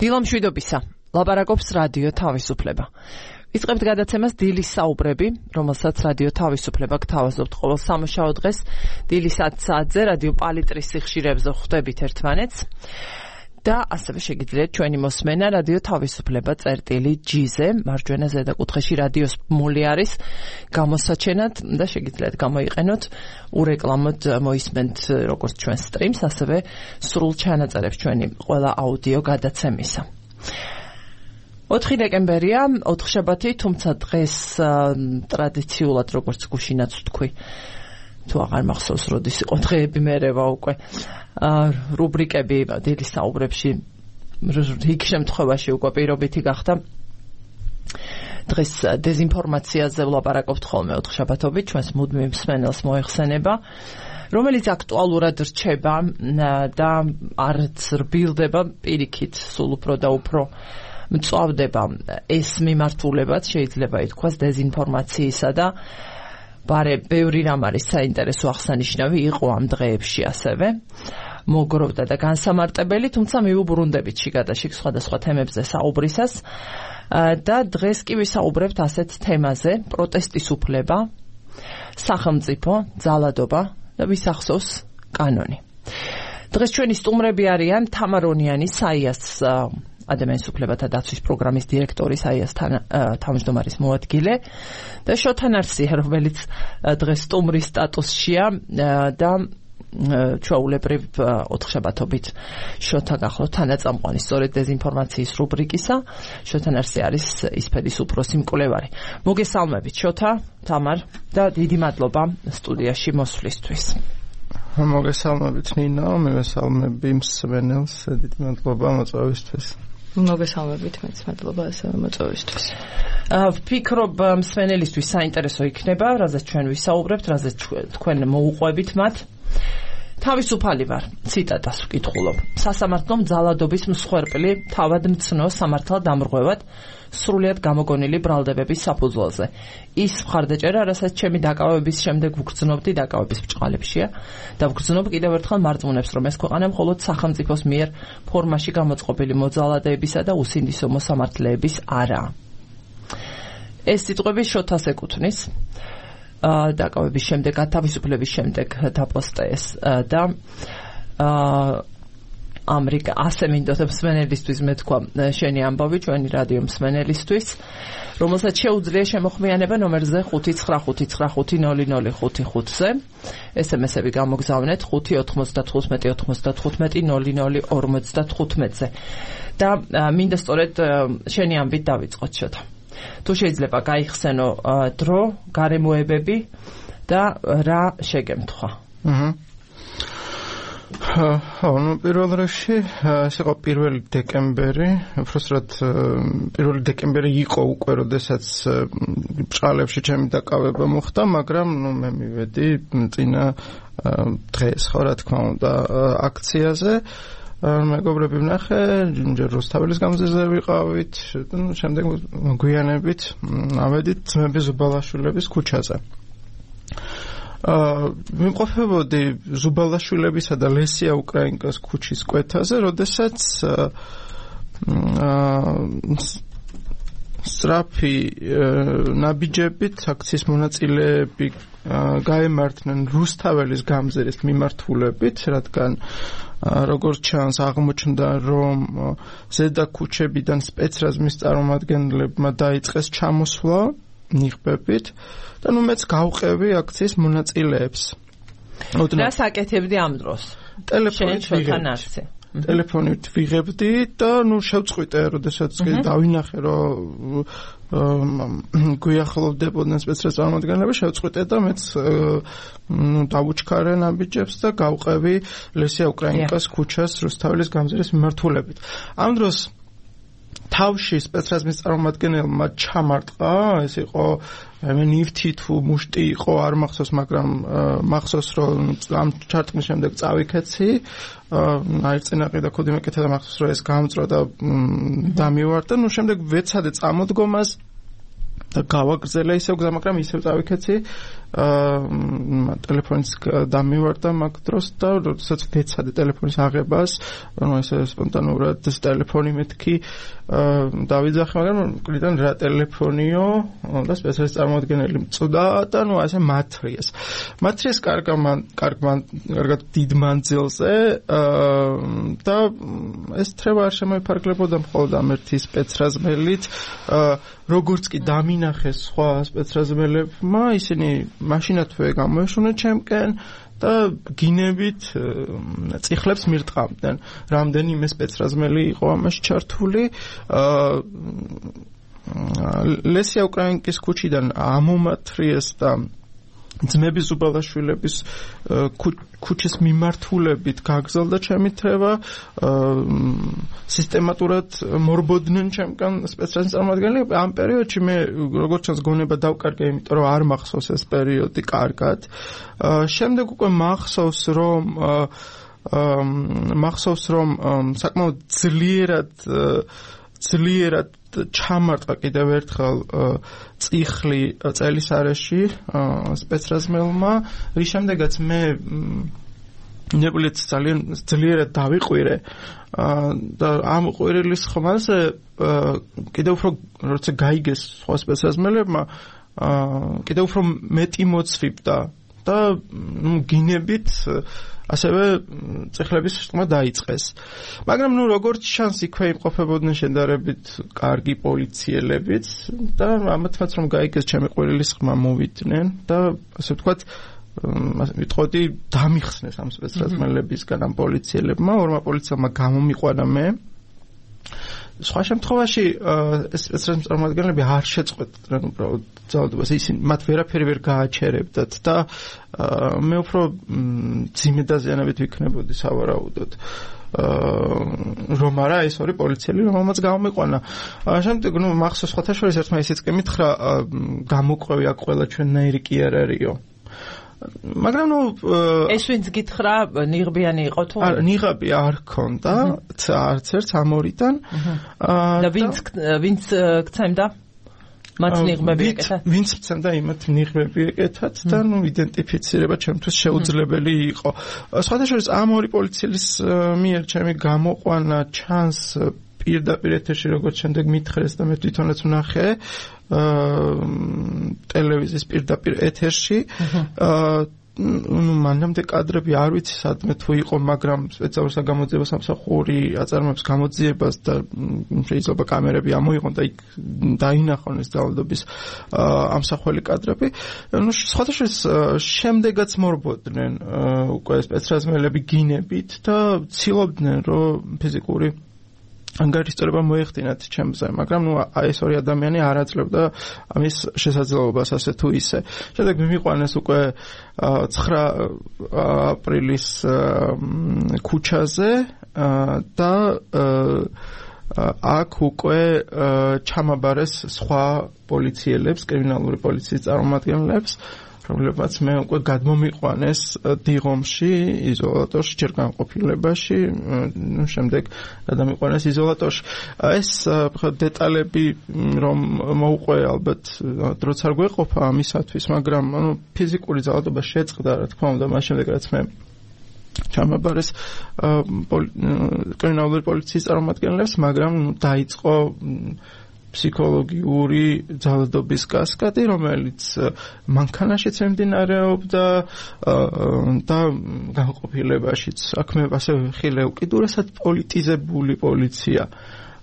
დილამშვიდობისა, ლაპარაკობს რადიო თავისუფლება. ვიწყებთ გადაცემას დილის საუბრები, რომელსაც რადიო თავისუფლება გთავაზობთ ყოველ სამუშაო დღეს დილის 10 საათზე რადიო პალიტრის სიხშირეებზე ხვდებით ერთმანეთს. და ასევე შეგიძლიათ ჩვენი მოსმენა რადიო თავისუფლება წერტილი-G-ზე, მარჯვენა ზედაკუთხეში რადიოს მული არის გამოსაჩენად და შეგიძლიათ გამოიყენოთ ურეკლამოდ მოისმენთ როგორც ჩვენ სტრიმს, ასევე სრულ ჩანაწერებს ჩვენი ყველა აუდიო გადაცემისა. 4 დეკემბერია, 4 შაბათი, თუმცა დღეს ტრადიციულად როგორც გუშინაც ვთქვი, თუ აღარ მახსოვს როდის იყო დღეები მერევა უკვე რუბრიკები დილის საუბრებში რიგ შემთხვევაში უკვე პირობითი გახდა. დღეს დეზინფორმაციაზე ვლაპარაკობთ ხოლმე 4 შაბათობით, ჩვენს მუდმივ მსმენელს მოეხსენება, რომელიც აქტუალურად რჩება და არც რბილდება, პირიქით სულ უფრო და უფრო მწვავდება ეს მიმართულებაც, შეიძლება ითქვას, დეზინფორმაციისა და ბარე ბევრი რამ არის საინტერესო აღსანიშნავი იყო ამ დღეებში ასევე მოგროვდა და განსამარტებელი, თუმცა მივუბრუნდებით შიგადაშიგ სხვადასხვა თემებზე საუბრისას და დღეს კი ვისაუბრებთ ასეთ თემაზე: პროტესტის უფლება, სახელმწიფო, ძალადობა და ვისახსოვს კანონი. დღეს ჩვენი სტუმრები არიან თამარ ონიანი, საიას ადამიანის უფლებათა დაცვის პროგრამის დირექტორი, საიას თავმჯდომარის მოადგილე და შოთა ნარსია, რომელიც დღეს სტუმრის სტატუსშია და ჩვეულებრივ 4 შაბათობით შოთა გახლავთ თანაწამყვანი სწორედ დეზინფორმაციის რუბრიკისა. შოთა ნარსია არის ისფედის უფროსი მკვლევარი. მოგესალმებით შოთა, თამარ და დიდი მადლობა სტუდიაში მოსვლისთვის. მოგესალმებით ნინო, მივესალმები მსმენელს, დიდი მადლობა მოწვევისთვის. მოგესალმებით, მეც მადლობა ასევე მოწვევისთვის. ვფიქრობ მსმენელისთვის საინტერესო იქნება, რაზეც ჩვენ ვისაუბრებთ, რაზეც თქვენ მოუყვებით მათ. თავისუფალი ვარ, ციტატას ვკითხულობ. სასამართლომ ძალადობის მსხვერპლი თავად მცნო სამართალ დამრღვევად სრულიად გამოგონილი ბრალდებების საფუძველზე. ის მხარდაჭერა, რასაც ჩემი დაკავების შემდეგ ვგრძნობდი, დაკავების ბრჭყალებშია და ვგრძნობ კიდევ ერთხელ მარწმუნებს, რომ ეს ქვეყანა მხოლოდ სახელმწიფოს მიერ ფორმაში გამოწყობილი მოძალადეებისა და უსინდისო მოსამართლეების არაა. ეს სიტყვები შოთას ეკუთვნის. დაკავების შემდეგ, თავისუფლების შემდეგ დაპოსტა ეს და ამრიგ ასე მინდოდა მსმენელისთვის მე თქვა შენი ამბავი, ჩვენი რადიო მსმენელისთვის, რომელსაც შეუძლია შემოხმიანება ნომერზე 595500555-ზე. SMS-ები გამოგზავნეთ 595-95-00-55-ზე. და მინდა სწორედ შენი ამბით დავიწყოთ შოთა. თუ შეიძლება გაიხსენო დრო, გარემოებები და რა შეგემთხვა. ნუ პირველ რიგში ეს იყო 1 დეკემბერი, უბრალოდ 1 დეკემბერი იყო უკვე, როდესაც ბრჭყალებში ჩემი დაკავება მოხდა, მაგრამ ნუ მე მივედი წინა დღეს, ხო რა თქმა უნდა, აქციაზე. მეგობრები ვნახე, ჯერ რუსთაველის გამზირზე ვიყავით, შემდეგ გვიანებით ავედით ძმების ზუბალაშვილების ქუჩაზე. ვიმყოფებოდი ზუბალაშვილებისა და ლესია უკრაინკას ქუჩის კვეთაზე, როდესაც სწრაფი ნაბიჯებით აქციის მონაწილეები გაემართნენ რუსთაველის გამზირის მიმართულებით, რადგან როგორც ჩანს აღმოჩნდა, რომ ზედა ქუჩებიდან სპეცრაზმის წარმომადგენლებმა დაიწყეს ჩამოსვლა ნიღბებით და ნუ მეც გავყევი აქციის მონაწილეებს. რა საკეთებდი ამ დროს? ტელეფონით ვიღებდი და ნუ შევწყვიტე, როდესაც დავინახე, რომ გვიახლოვდებოდნენ სპეცრაზმის წარმომადგენლები, შევწყვიტე და მეც დავუჩქარე ნაბიჯებს და გავყევი ლესია უკრაინკას ქუჩას რუსთაველის გამზირის მიმართულებით. ამ დროს თავში სპეცრაზმის წარმომადგენელმა ჩამარტყა, ეს იყო ნივთი თუ მუშტი იყო, არ მახსოვს, მაგრამ მახსოვს, რომ ამ ჩარტყმის შემდეგ წავიქეცი, აირწინაყი და ქოდი მეკეთა და მახსოვს, რომ ეს გამწრო და დამივარდა. ნუ შემდეგ ვეცადე წამოდგომას და გავაგრძელე ისევ გზა, მაგრამ ისევ წავიქეცი ტელეფონის დამივარდა მაგ დროს და როდესაც ვეცადე ტელეფონის აღებას, ანუ ესე სპონტანურად ტელეფონი მეთქი დავიძახე, მაგრამ მკვიდრიდან რა ტელეფონიო და სპეციალისტ წარმოადგენელი მწვდა და ნუ ასე მათრიეს კარგად დიდ მანძილზე და ეს თრევა არ შემოიფარგლებოდა მხოლოდ ამ ერთი სპეცრაზმელით, როგორც კი დამინახეს სხვა სპეცრაზმელებმა, ისინი მაშინათვე გამოეშუნეს ჩემკენ და გინებით წიხლებს მირტყამდნენ. რამდენიმე სპეცრაზმელი იყო ამაში ჩართული. ლესია უკრაინკის ქუჩიდან ამომათრიეს და ძმების უბალაშვილების ქუჩის მიმართულებით გაგრძელდა ჩემი თრევა. სისტემატურად მორბოდნენ ჩემკან სპეცრაზმელის წარმოადგენლები. ამ პერიოდში მე როგორც ჩანს გონება დავკარგე, იმიტომ რომ არ მახსოვს ეს პერიოდი კარგად. შემდეგ უკვე მახსოვს რომ საკმაოდ ძლიერად ჩამარტყა კიდევ ერთხელ წიხლი წელის არეში სპეცრაზმელმა, რის შემდეგაც მე ნებულით ძალიან ძლიერად დავიყვირე და ამ ყვირილის ხმაზე კიდევ უფრო როცა გაიგეს სხვა სპეცრაზმელებმა კიდევ უფრო მეტი მოცვიბდა და გინებით ასევე წეხლების შტმა დაიწყეს. მაგრამ როგორც ჩანს იქვე იმყოფებოდნენ შედარებით კარგი პოლიციელებიც და ამათაც რომ გაიგეს ჩემი ყვირილის ხმა მოვიდნენ და ასე ვთქვათ ვიტყოდი დამიხსნეს ამ სპეცრაზმელებისგან ამ პოლიციელებმა, ორმა პოლიციელმა გამომიყვანა მე. სხვა შემთხვევაში ეს სპეცრაზმელის წარმოადგენლები არ შეწყვეტდნენ უბრალოდ ძალადობას, ისინი მათ ვერაფერი ვერ გააჩერებდათ და მე უფრო ძიმე დაზიანებით ვიქნებოდი სავარაუდოდ. რომ არა ეს ორი პოლიციელი რომელმაც გამომიყვანა. შემდეგ მახსოვს სხვათა შორის ერთმა ისიც კი მითხრა გამოყვევი აქ ყველა ჩვენნაირი კი არ არისო. მაგრამ ეს ვინც გითხრა ნიღბიანი იყო თუ? არა, ნიღაბი არ ქონდა, არც ერთ ამ ორიდან. და ვინც გცემდა? მათ ნიღბები ეკეთა? ვინც გცემდა იმათ ნიღბები ეკეთათ და იდენტიფიცირება ჩემთვის შეუძლებელი იყო. სხვათა შორის ამ ორი პოლიციელის მიერ ჩემი გამოყვანა ჩანს პირდაპირ ეთერში, როგორც შემდეგ მითხრეს და მე თვითონაც ვნახე ტელევიზიის პირდაპირ ეთერში. მანამდე კადრები არ ვიცი სადმე თუ იყო, მაგრამ სპეციალურ საგამოძიებო სამსახური აწარმოებს გამოძიებას და შეიძლება კამერები ამოიღონ და იქ დაინახონ ეს ძალადობის ამსახველი კადრები. სხვათა შორის შემდეგაც მორბოდნენ უკვე სპეცრაზმელები გინებით და ცდილობდნენ რომ ფიზიკური ანგარიშწერება მოეხდინათ ჩემზე, მაგრამ ეს ორი ადამიანი არ აძლევდა ამის შესაძლებლობას ასე თუ ისე. შემდეგ მიმიყვანეს უკვე 9 აპრილის ქუჩაზე და აქ უკვე ჩამაბარეს სხვა პოლიციელებს, კრიმინალური პოლიციის წარმომადგენლებს, რომლებმაც მე უკვე გადმომიყვანეს დიღომში, იზოლატორში, ჯერ განყოფილებაში, შემდეგ გადამიყვანეს იზოლატორში. ეს დეტალები რომ მოუყვე ალბათ დროც არ გვეყოფა ამისათვის, მაგრამ ფიზიკური ძალადობა შეწყდა, რა თქმა უნდა, მას შემდეგ რაც მე ჩამაბარეს კრიმინალური პოლიციის წარმომადგენლებს, მაგრამ დაიწყო ფსიქოლოგიური ძალადობის კასკადი, რომელიც მანქანაშიც მიმდინარეობდა და განყოფილებაშიც. აქ მე ასე ვიხილე უკიდურესად პოლიტიზებული პოლიცია,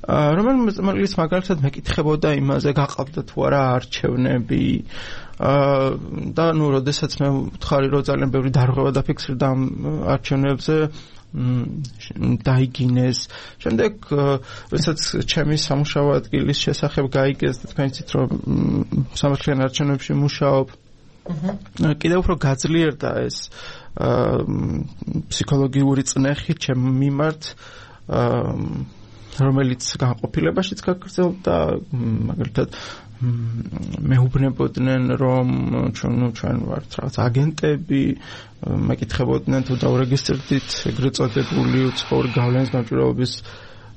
რომელიც მაგალითად მეკითხებოდა იმაზე, გაყავდა თუ არა არჩევნები და როდესაც მე ვთხარი, რომ ძალიან ბევრი დარღვევა დაფიქსირდა ამ არჩევნებზე, დაიგინეს. შემდეგ როდესაც ჩემი სამუშაო ადგილის შესახებ გაიგეს და თქვენ იცით რომ სამართლიან არჩევნებში მუშაობ, კიდევ უფრო გაძლიერდა ეს ფსიქოლოგიური წნეხი ჩემ მიმართ, რომელიც განყოფილებაშიც გაგრძელდა, მაგალითად მეუბნებოდნენ რომ ჩვენ ვართ რაღაც აგენტები, მეკითხებოდნენ თუ დაურეგისტრდით ეგრეთ წოდებული უცხოური გავლენის გამჭვირვალობის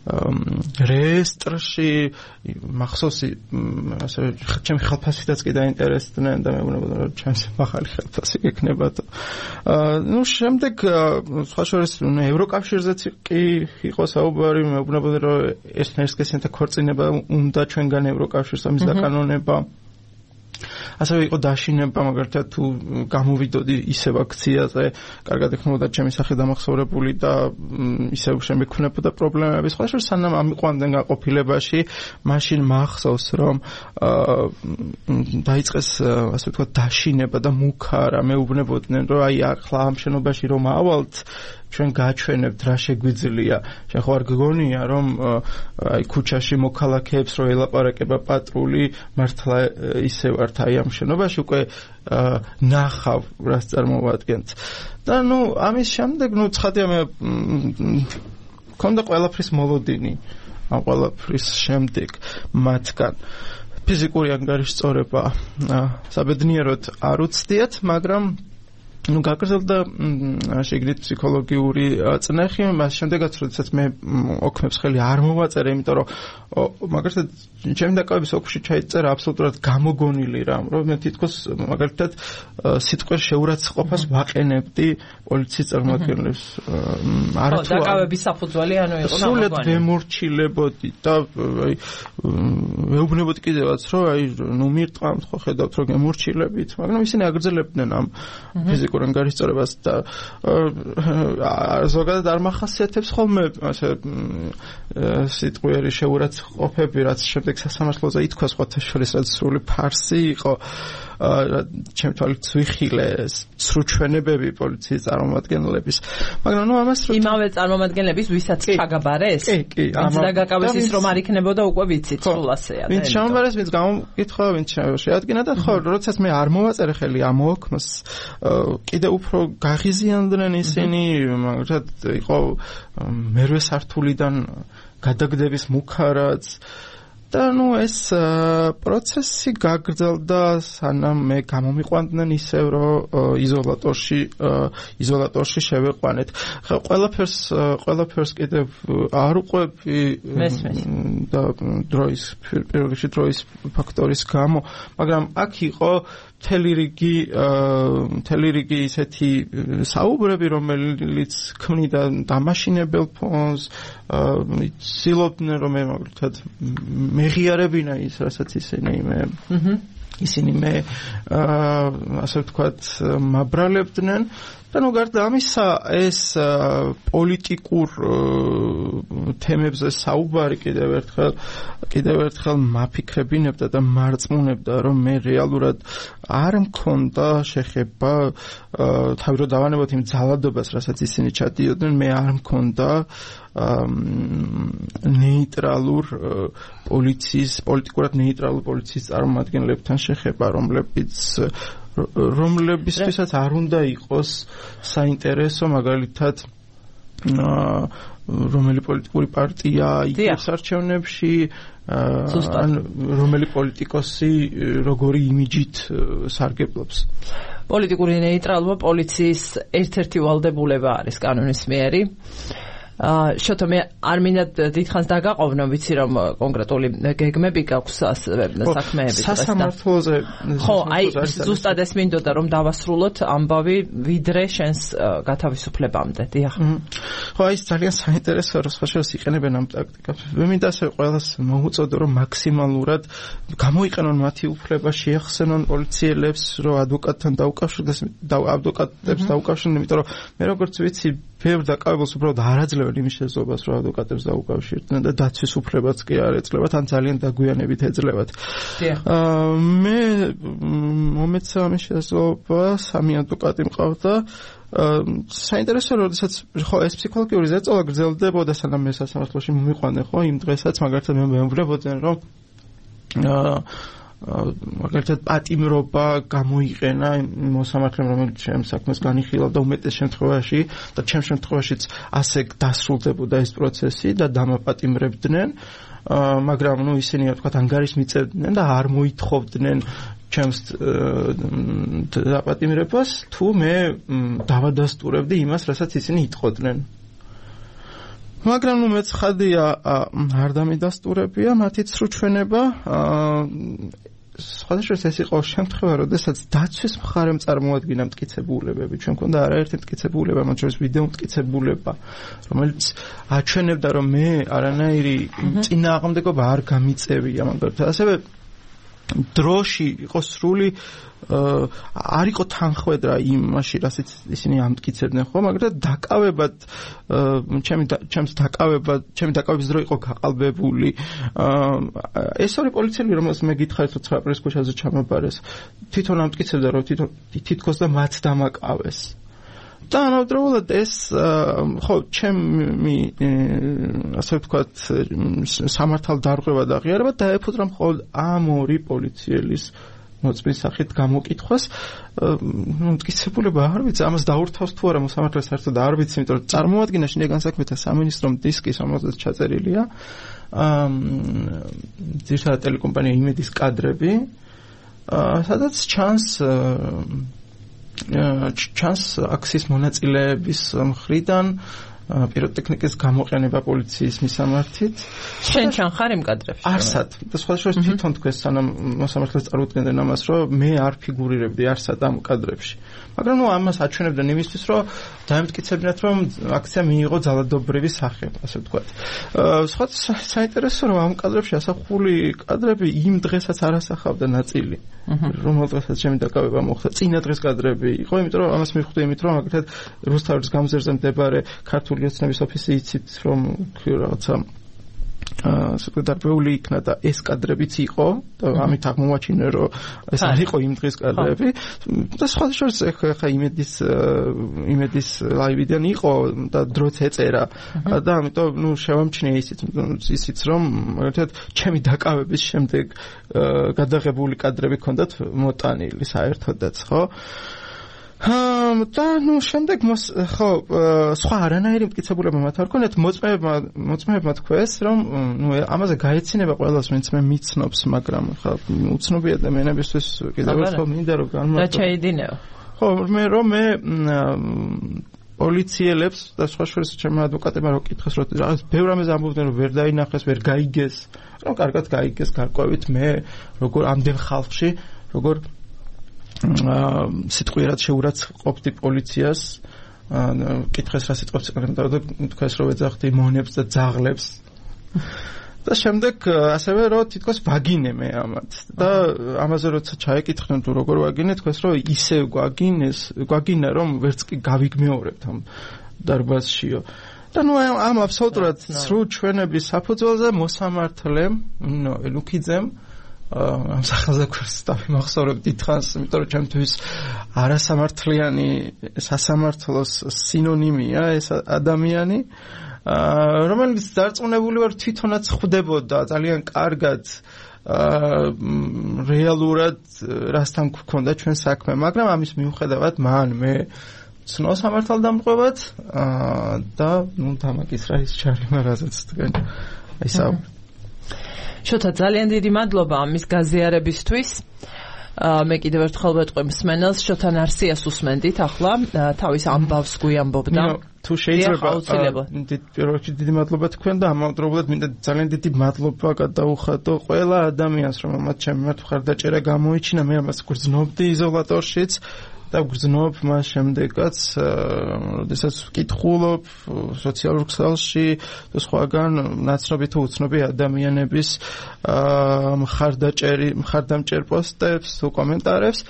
რეესტრში მახსოვს ასე ჩემი ხელფასითაც კი დაინტერესდნენ და მე ვუყურებდი რომ ჩემს ახალი ხელფასი გექნება და შემდეგ სხვა შორის ევროკავშირზეც კი იყო საუბარი მე ვუყურებდი რომ ესნერსკესიანთა ქორწინება უნდა ჩვენგან ევროკავშირს ამის დაკანონება ასევე იყო დაშინება მაგალითად თუ გამოვიდოდი ისევ აქციაზე კარგად ექნებოდა ჩემი სახე დამახსოვრებული და ისევ შემექნებოდა პრობლემები სხვა შორის სანამ ამიყვანდნენ გაყოფილებაში მაშინ მახსოვს რომ დაიწყეს ასე ვთქვათ დაშინება და მუქარა მეუბნებოდნენ რომ აი ახლა ამ შენობაში რომ ავალთ ჩვენ გაჩვენებთ რა შეგვიძლია შენ ხო არ გგონია რომ აი ქუჩაში მოქალაქეებს რო ელაპარაკება პატრული მართლა ისე ვართ აი ამ შენობაში უკვე ნახავ რას წარმოვადგენთ და ნუ ამის შემდეგ ნუ ცხადია მე მქონდა ყველაფრის მოლოდინი ამ ყველაფრის შემდეგ მათგან ფიზიკური ანგარიშწორება საბედნიეროდ არ უცდიათ მაგრამ ну გაგრძელდა შეგრით ფსიქოლოგიური წნეხი მას შემდეგაც როდესაც მე ოქმებს ხელი არ მოვაწერე იმიტომ რომ მაგალითად ჩემი დაკავების ოქში ჩაიწერა აბსოლუტურად გამოგონილი რამ რომ მე თითქოს მაგალითად სიტყვის შეურაცხყოფას ვაყენებდი პოლიციის წარმომადგენლებს არათუ დაკავების საფუძველი ანუ იყო სულად ვემორჩილებოდი და აი მეუბნებოდი კიდევაც რომ აი ნუ მირტყამთ ხო ხედავთ რომ გემორჩილებით მაგრამ ისინი აგრძელებდნენ ამ ფიზიკურ ანგარიშწორებას და ზოგადად არ მახასიათებს ხოლმე ასე სიტყვიერი შეურაცხყოფები რაც შემდეგ სასამართლოზე ითქვა სხვათა შორის რაც სრული ფარსი იყო ჩემ თვალით ვიხილე სრუჩვენებები პოლიციის წარმომადგენლების მაგრამ ნუ ამას იმავე წარმომადგენლების ვისაც ჩაგაბარეს კი დაგაკავეს ის რომ არ იქნებოდა უკვე ვიცით სრულასეა ვინც ჩამბარეს ვინც გამოკითხა ვინც შეადგინა და ხო როდესაც მე არ მოვაწერე ხელი ამ ოქმს კიდე უფრო გაღიზიანდნენ ისინი მაგალითად იყო მერვე სართულიდან გადაგდების მუქარაც და ნუ ეს პროცესი გაგრძელდა სანამ მე გამომიყვანდნენ ისევ რომ იზოლატორში შევეყვანეთ. ყველაფერს კიდევ არ უყვები და დროის ფაქტორის გამო, მაგრამ აქ იყო მთელი რიგი ისეთი საუბრები, რომელიც ქმნიდა დამაშინებელ ფონს, ცდილობდნენ რომ მე მაგალითად მეღიარებინა ის, რასაც ისინი მე ასე ვთქვათ მაბრალებდნენ და ნუ გარდა ამისა ეს პოლიტიკურ თემებზე საუბარი კიდევ ერთხელ მაფიქრებინებდა და მარწმუნებდა რომ მე რეალურად არ მქონდა შეხება თავი რომ დავანებოთ იმ ძალადობას რასაც ისინი ჩადიოდნენ მე არ მქონდა პოლიტიკურად ნეიტრალურ პოლიციის წარმომადგენლებთან შეხება რომლებისთვისაც არ უნდა იყოს საინტერესო მაგალითად რომელი პოლიტიკური პარტია იგებს არჩევნებში ან რომელი პოლიტიკოსი როგორი იმიჯით სარგებლობს პოლიტიკური ნეიტრალობა პოლიციის ერთ-ერთი ვალდებულება არის კანონის მიერი შოთო მე არ მინდა დიდხანს დაგაყოვნო ვიცი რომ კონკრეტული გეგმები გაქვს საქმეებით სასამართლოზე ხო აი ზუსტად ეს მინდოდა რომ დავასრულოთ ამბავი ვიდრე შენს გათავისუფლებამდე დიახ ხო აი ძალიან საინტერესოა რომ სხვაშორის იყენებენ ამ ტაქტიკას მე მინდა ასე ყველას მოუწოდო რომ მაქსიმალურად გამოიყენონ მათი უფლება შეახსენონ პოლიციელებს რომ ადვოკატთან ადვოკატებს დაუკავშირდნენ იმიტომ რომ მე როგორც ვიცი ბევრ დაკავებულს უბრალოდ არ აძლევენ იმის შესაძლებლობას რომ ადვოკატებს დაუკავშირდნენ და დაცვის უფლებაც კი არ ეძლებათ ან ძალიან დაგვიანებით ეძლებათ მე მომეცა ამის შესაძლებლობა სამი ადვოკატი მყავდა საინტერესოა როდესაც ხო ეს ფსიქოლოგიური ზეწოლა გრძელდებოდა სანამ მე სასამართლოში მომიყვანე ხო იმ დღესაც მაგალითად მე მეუბნებოდნენ რომ მაგალითად პატიმრობა გამოიყენა მოსამართლემ რომელიც ჩემს საქმეს განიხილავ და უმეტეს შემთხვევაში და ჩემს შემთხვევაშიც ასე დასრულდებოდა ეს პროცესი და დამაპატიმრებდნენ მაგრამ ნუ ისინი თქვათ ანგარიშს მიწევდნენ და არ მოითხოვდნენ ჩემს დაპატიმრებას თუ მე დავადასტურებდი იმას რასაც ისინი იტყოდნენ მაგრამ ნუ მეცხადია არ დამიდასტურებია მათი ცრუჩვენება სხვადასხვა ეს იყო შემთხვევა, როდესაც დაცვის მხარემ წარმოადგინა მტკიცებულებები. ჩვენ მქონდა არაერთი მტკიცებულება, მათ შორის ვიდეო მტკიცებულება, რომელიც აჩვენებდა, რომ მე არანაირი წინააღმდეგობა არ გამიწევია მაგალითად. ასევე დროში იყო სრული არ იყო თანხwebdriver იმაში, რასაც ისინი ამტკიცებდნენ, ხო, მაგრამ დაკავებად ჩემი დაკავების დრო იყო გაყალბებული. ეს ორი პოლიციელი, რომელსაც მე გითხარით, რომ 9 აპრილის ქუჩაზე ჩამაბარეს, თვითონ ამტკიცებდა, რომ თითქოს და მათ დამაკავეს. და ამავდროულად ეს ხო ჩემი ასე ვთქვათ სამართალ დარღვევა და აღიარება დაეფუძნა მხოლოდ ამ ორი პოლიციელის მოწმის სახით გამოკითხვას. მტკიცებულება არ ვიცი, ამას დაურთავს თუ არა მოსამართლე საერთოდ არ ვიცი, იმიტომ რომ წარმოადგინა შინაგან განსაქმეთა სამინისტრომ დისკი, რომელზეც ჩაწერილია ძირითადად ტელეკომპანია იმედის კადრები, სადაც ჩანს აქციის მონაწილეების მხრიდან პიროტექნიკის გამოყენება პოლიციის მისამართით. შენ ხარ იმ კადრებში? არსად. და სხვადასხვა თვითონ თქვენ სანამ მოსამართლეს წარუდგენდნენ ამას, რომ მე არ ფიგურირებდი არსად ამ კადრებში. მაგრამ ნუ ამას აჩვენებდნენ იმისთვის, რომ დაემტკიცებინათ, რომ აქცია მიიღო ძალადობრივი სახე, ასე ვთქვათ. სხვა საინტერესო რომ ამ კადრებში ასახული კადრები იმ დღესაც არ ასახავდა ნაწილი. რომელ დღესაც ჩემი დაკავება მოხდა. წინა დღეს კადრები იყო, იმიტომ რომ ამას მივხვდი იმით, რომ მაგალითად რუსთავის გამზერზე მდებარე ქართული ოცნების ოფისი იცით, რომ რაღაცა სეკრეტარიული იქნა და ეს კადრებიც იყო და ამით აღმოაჩინე, რომ ეს არ იყო იმ დღის კადრები და სხვადასხვა ხა იმედის ლაივიდან იყო და დროც ეწერა და ამიტომ ნუ შევამჩნიე ისიც რომ მაგალითად ჩემი დაკავების შემდეგ გადაღებული კადრები ჰქონდათ მოტანილი საერთოდაც, ხო? და ნუ შემდეგ ხო სხვა არანაირი მტკიცებულება მათ არ ქონდათ. მოწმეებმა თქვეს, რომ ნუ ამაზე გაეცინება ყველას, ვინც მე მიცნობს, მაგრამ ხა უცნობი ადამიანებისთვის კიდევ ერთხელ მინდა რომ და ჩაიდინეო. ხო, მე პოლიციელებს და სხვა შორის ჩემი ადვოკატებმა რო კითხეს, რომ რაღაც ბევრ ამაზე ამბობდნენ, რომ ვერ დაინახეს, ვერ გაიგეს, რომ კარგად გაიგეს გარკვევით მე როგორ ამდენ ხალხში როგორ სიტყვიერად შეურაცხყოფდი პოლიციას, კითხეს რა სიტყვებს ეყრდნობა და თქვეს რომ ეძახდი მონებს და ძაღლებს. და შემდეგ ასევე რომ თითქოს ვაგინე მე ამათ და ამაზე როცა ჩაეკითხნენ თუ როგორ ვაგინე, თქვეს რომ ისევ გვაგინა რომ ვერც კი გავიგმეორებთ ამ დარბაზშიო. და ნუ ამ აბსოლუტურად სრულ ჩვენების საფუძველზე მოსამართლემ ლუკიძემ ამ სახელზე ქვესტავი მახსოვრებ დიდხანს, იმიტომ რომ ჩემთვის არასამართლიანი სასამართლოს სინონიმია ეს ადამიანი, რომელიც დარწმუნებული ვარ თვითონაც ხვდებოდა ძალიან კარგად რეალურად რასთან გქონდა ჩვენ საქმე, მაგრამ ამის მიუხედავად მე ცნო სამართალდამტყობად და ნუ დამაკისრა ის ჩარიმა, რაზეც თქვენ საუბრობთ. შოთა, ძალიან დიდი მადლობა ამის გაზიარებისთვის. მე კიდევ ერთხელ ვეტყვი მსმენელს, შოთა ნარსიას უსმენდით ახლა, თავის ამბავს გვიამბობდა. თუ შეიძლება პირველ რიგში დიდი მადლობა თქვენ და ამავდროულად მინდა ძალიან დიდი მადლობა გადაუხადო ყველა ადამიანს, რომელმაც ჩემი მხარდაჭერა გამოიჩინა. მე ამას გრძნობდი იზოლატორშიც და გრძნობ მას შემდეგაც, როდესაც ვკითხულობ სოციალურ ქსელში და სხვაგან ნაცნობი თუ უცნობი ადამიანების მხარდამჭერ პოსტებს თუ კომენტარებს.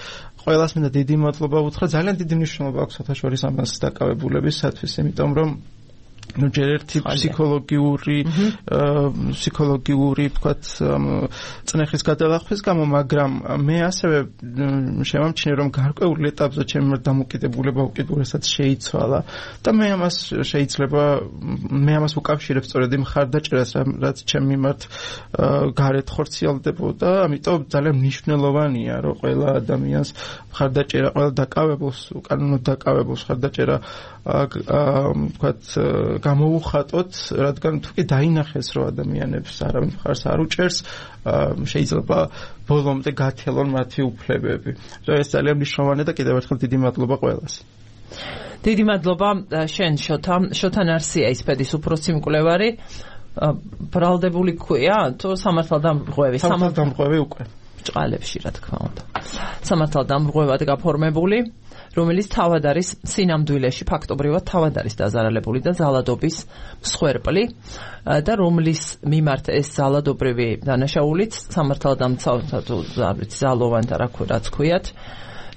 ყველას მინდა დიდი მადლობა უთხრა. ძალიან დიდი მნიშვნელობა აქვს საერთაშორისო ამას დაკავებულებისათვის, იმიტომ რომ ну ჯერ ერთი ფსიქოლოგიური ვთქვათ წნეხის გადალახვის გამო, მაგრამ მე ასევე შევამჩნიე რომ გარკვეულ ეტაპზე ჩემი დამოკიდებულება უკიდურესად შეიცვალა და მე ამას ვუკავშირებ სწორედ იმ მხარდაჭერას, რაც ჩემი მიმართ გარეთ ხორციელდებოდა. ამიტომ ძალიან მნიშვნელოვანია რომ ყველა ადამიანს მხარდაჭერა, ყველა დაკავებულს, უკანონოდ დაკავებულს მხარდაჭერა ვთქვათ გამოუხატოთ, რადგან თუ კი დაინახეს რომ ადამიანებს არავინ მხარს არ უჭერს, შეიძლება ბოლომდე გათელონ მათი უფლებები. ეს ძალიან მნიშვნელოვანია და კიდევ ერთხელ დიდი მადლობა ყველას. დიდი მადლობა შენ შოთა ნარსია ის პედის უფროსი მკვლევარი ბრალდებული ქვია თუ სამართალდამრღვევი უკვე ჭყალებში რა თქმა უნდა სამართალდამრღვევად გაფორმებული რომელიც თავად არის სინამდვილეში ფაქტობრივად თავად არის დაზარალებული და ზალადობის მსხვერპლი და რომლის მიმართ ეს ზალადობრივი დანაშაულიც სამართალდამცავთა თუ ზალოვანთა რაც ქვიათ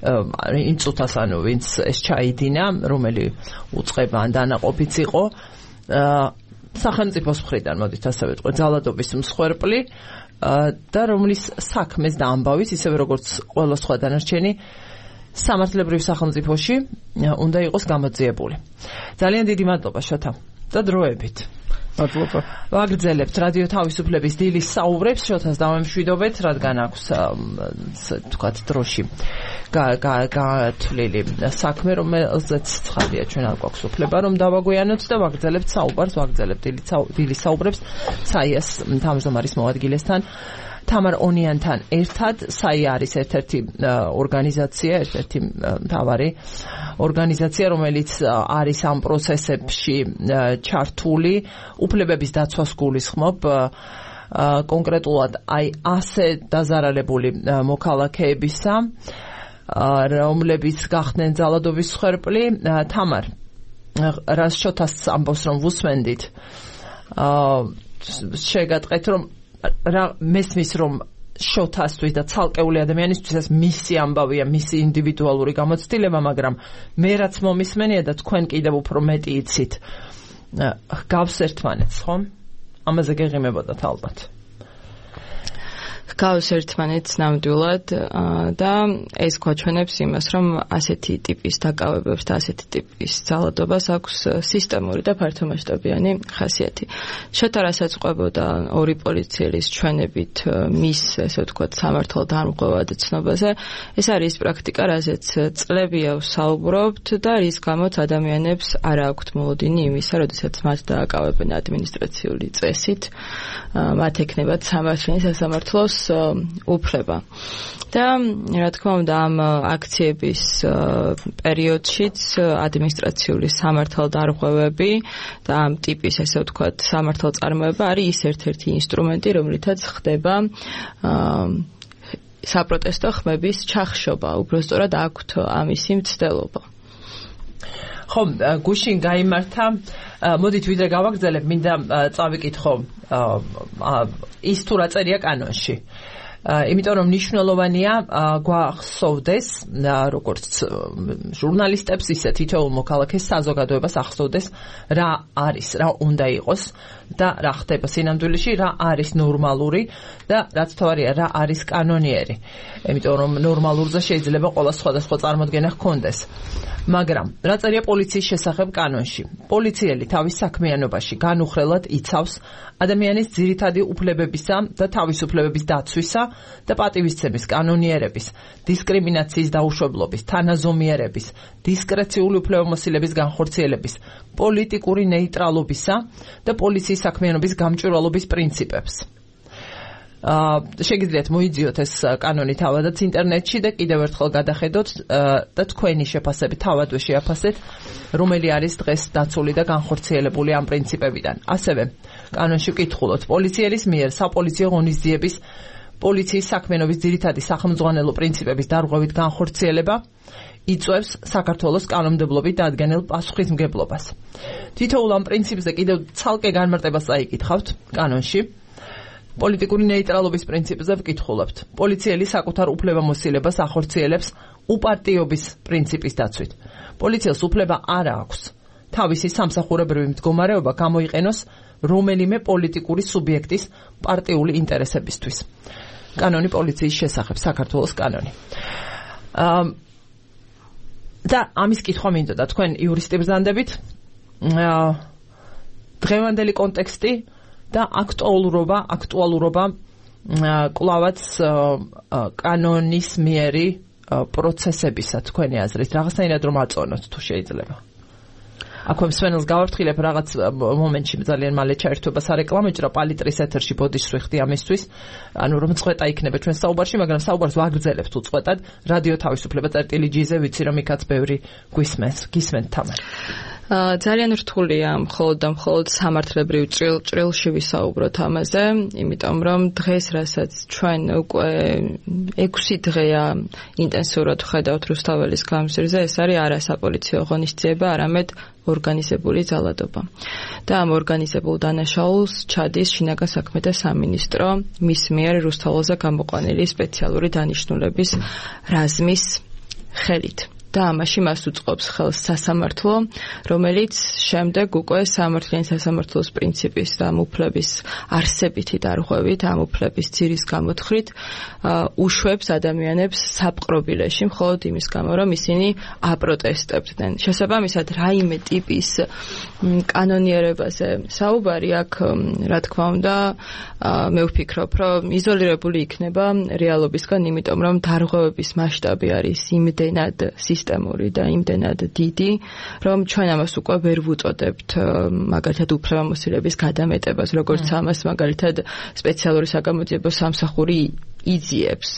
ინწუთას ანუ ვინც ეს ჩაიდინა რომელი უწყება ან დანაყოფიც იყო სახელმწიფოს მხრიდან მოდით ასე ვიტყვი ზალადობის მსხვერპლი და რომლის საქმეს და ამბავის ისევე როგორც ყველა სხვა დანარჩენი სამართლებრივ სახელმწიფოში უნდა იყოს გამოძიებული. ძალიან დიდი მადლობა შოთა და დროებით. მადლობა. ვაგრძელებთ რადიო თავისუფლების დილის საუბრებს შოთას დავემშვიდობეთ, რადგან აქვს თქვათ დროში გათვლილი საქმე, რომელზეც ცხადია ჩვენ არ გვაქვს უფლება რომ დავაგვიანოთ და ვაგრძელებთ საუბარს, ვაგრძელებთ დილის საუბრებს საიას თავმჯდომარის მოადგილესთან თამარ ონიანთან ერთად საია არის ერთ-ერთი ორგანიზაცია, ერთ-ერთი მთავარი ორგანიზაცია, რომელიც არის ამ პროცესებში ჩართული, უფლებების დაცვას გულისხმობ კონკრეტულად აი ასე დაზარალებული მოქალაქეებისა, რომლებიც გახდნენ ზალადობის მსხვერპლი. თამარ, რას შოთას ამბობს რომ ვუსმენდით, შეგატყეთ რომ რა მესმის რომ შოთასთვის და ცალკეული ადამიანისთვის მისი ამბავია, მისი ინდივიდუალური გამოცდილება, მაგრამ მე რაც მომისმენია და თქვენ კიდევ უფრო მეტი იცით, გავს ერთმანეთს, ხო? ამაზე გეღიმებოდათ ალბათ. გავს ერთმანეთს ნამდვილად და ეს გვაჩვენებს იმას, რომ ასეთი ტიპის დაკავებებს და ასეთი ტიპის ძალადობას აქვს სისტემური და ფართომასშტაბიანი ხასიათი. შოთა რასაც ყვებოდა ორი პოლიციელის ჩვენებით მის, ესე ვთქვათ, სამართალდამრღვევად ცნობაზე, ეს არის პრაქტიკა, რაზეც წლებია ვსაუბრობთ და რის გამოც ადამიანებს არ აქვთ მოლოდინი იმისა, როდესაც მათ დააკავებენ ადმინისტრაციული წესით, მათ ექნებათ სამართლის სასამართლოს უფლება. და რა თქმა უნდა ამ აქციების პერიოდშიც ადმინისტრაციული სამართალდამრღვევები და ამ ტიპის ესე ვთქვათ სამართალწარმოება არის ის ერთ-ერთი ინსტრუმენტი, რომლითაც ხდება საპროტესტო ხმების ჩახშობა, უბრალოდ აქვთ ამისი მცდელობა. ხო, გუშინ გაიმართა, მოდით ვიდრე გავაგრძელებ, მინდა წავიკითხო ის თუ რა წერია კანონში. იმიტომ რომ მნიშვნელოვანია გვახსოვდეს როგორც ჟურნალისტებს ისე თითოეულ მოქალაქეს საზოგადოებას ახსოვდეს რა არის, რა უნდა იყოს და რა ხდება სინამდვილეში, რა არის ნორმალური და რაც თვარია რა არის კანონიერი. იმიტომ რომ ნორმალურზე შეიძლება ყველა სხვადასხვა წარმოდგენა ჰქონდეს. მაგრამ რა წერია პოლიციის შესახებ კანონში? პოლიციელი თავის საქმიანობაში განუხრელად იცავს ადამიანის ძირითადი უფლებებისა და თავისუფლებების დაცვისა და პატივისცემის კანონიერების, დისკრიმინაციის დაუშვებლობის, თანაზომიერების, დისკრეციული უფლებამოსილების განხორციელების, პოლიტიკური ნეიტრალობისა და პოლიციის საქმიანობის გამჭვირვალობის პრინციპებს. შეგიძლიათ მოიძიოთ ეს კანონი თავადაც ინტერნეტში და კიდევ ერთხელ გადახედოთ და თქვენი შეფასებით თავადვე შეაფასეთ, რომელი არის დღეს დაცული და განხორციელებული ამ პრინციპებიდან. ასევე კანონში ვკითხულობთ პოლიციელის მიერ საპოლიციო ღონისძიების პოლიციის საქმიანობის ძირითადი სახელმძღვანელო პრინციპების დარღვევით განხორციელება იწვევს საქართველოს კანონმდებლობით დადგენილ პასუხისმგებლობას. თითოეულ ამ პრინციპზე კიდევ ცალკე განმარტებას წაიკითხავთ კანონში. პოლიტიკური ნეიტრალობის პრინციპზე ვკითხულობთ. პოლიციელი საკუთარ უფლებამოსილებას ახორციელებს უპარტიობის პრინციპის დაცვით. პოლიციას უფლება არ აქვს თავისი სამსახურებრივი მდგომარეობა გამოიყენოს რომელიმე პოლიტიკური სუბიექტის პარტიული ინტერესებისთვის. კანონი პოლიციის შესახებ, საქართველოს კანონი. და ამის კითხვა მინდოდა თქვენ იურისტი ბრძანდებით, დღევანდელი კონტექსტი და აქტუალურობა კლავაც კანონის მიერი პროცესებისა თქვენი აზრით რაღაცნაირად რომ აწონოთ თუ შეიძლება. აქვე მსმენელს გავაფრთხილებ რაღაც მომენტში ძალიან მალე ჩაერთვება სარეკლამო ჭრა პალიტრის ეთერში ბოდიშს ვიხდი ამისთვის ანუ რომ წვეტა იქნება ჩვენ საუბარში მაგრამ საუბარს ვაგრძელებთ უწყვეტად რადიო თავისუფლება წერტილი-G-ზე ვიცი რომ იქაც ბევრი გისმენთ თამარ ძალიან რთულია მხოლოდ და მხოლოდ სამართლებრივ ჭრილში ვისაუბროთ ამაზე, იმიტომ რომ დღეს რასაც ჩვენ უკვე 6 დღეა ინტენსიურად ვხედავთ რუსთაველის გამზირზე, ეს არის არა საპოლიციო ღონისძიება, არამედ ორგანიზებული ძალადობა. და ამ ორგანიზებულ დანაშაულს ჩადის შინაგან საქმეთა სამინისტრო მის მიერ რუსთაველზე გამოყვანილი სპეციალური დანიშნულების რაზმის ხელით. და ამაში მას უწყობს ხელს სასამართლო, რომელიც შემდეგ უკვე სამართლიანი სასამართლოს პრინციპის და ამ უფლების არსებითი დარღვევით, ამ უფლების ძირის გამოთხრით უშვებს ადამიანებს საპყრობილეში, მხოლოდ იმის გამო, რომ ისინი აპროტესტებდნენ. შესაბამისად, რაიმე ტიპის კანონიერებაზე საუბარი აქ, რა თქმა უნდა, მე ვფიქრობ, რომ იზოლირებული იქნება რეალობისგან, იმიტომ რომ დარღვევების მასშტაბი არის იმდენად სისტემური და იმდენად დიდი, რომ ჩვენ ამას უკვე ვერ ვუწოდებთ მაგალითად უფლებამოსილების გადამეტებას, როგორც ამას მაგალითად სპეციალური საგამოძიებო სამსახური იძიებს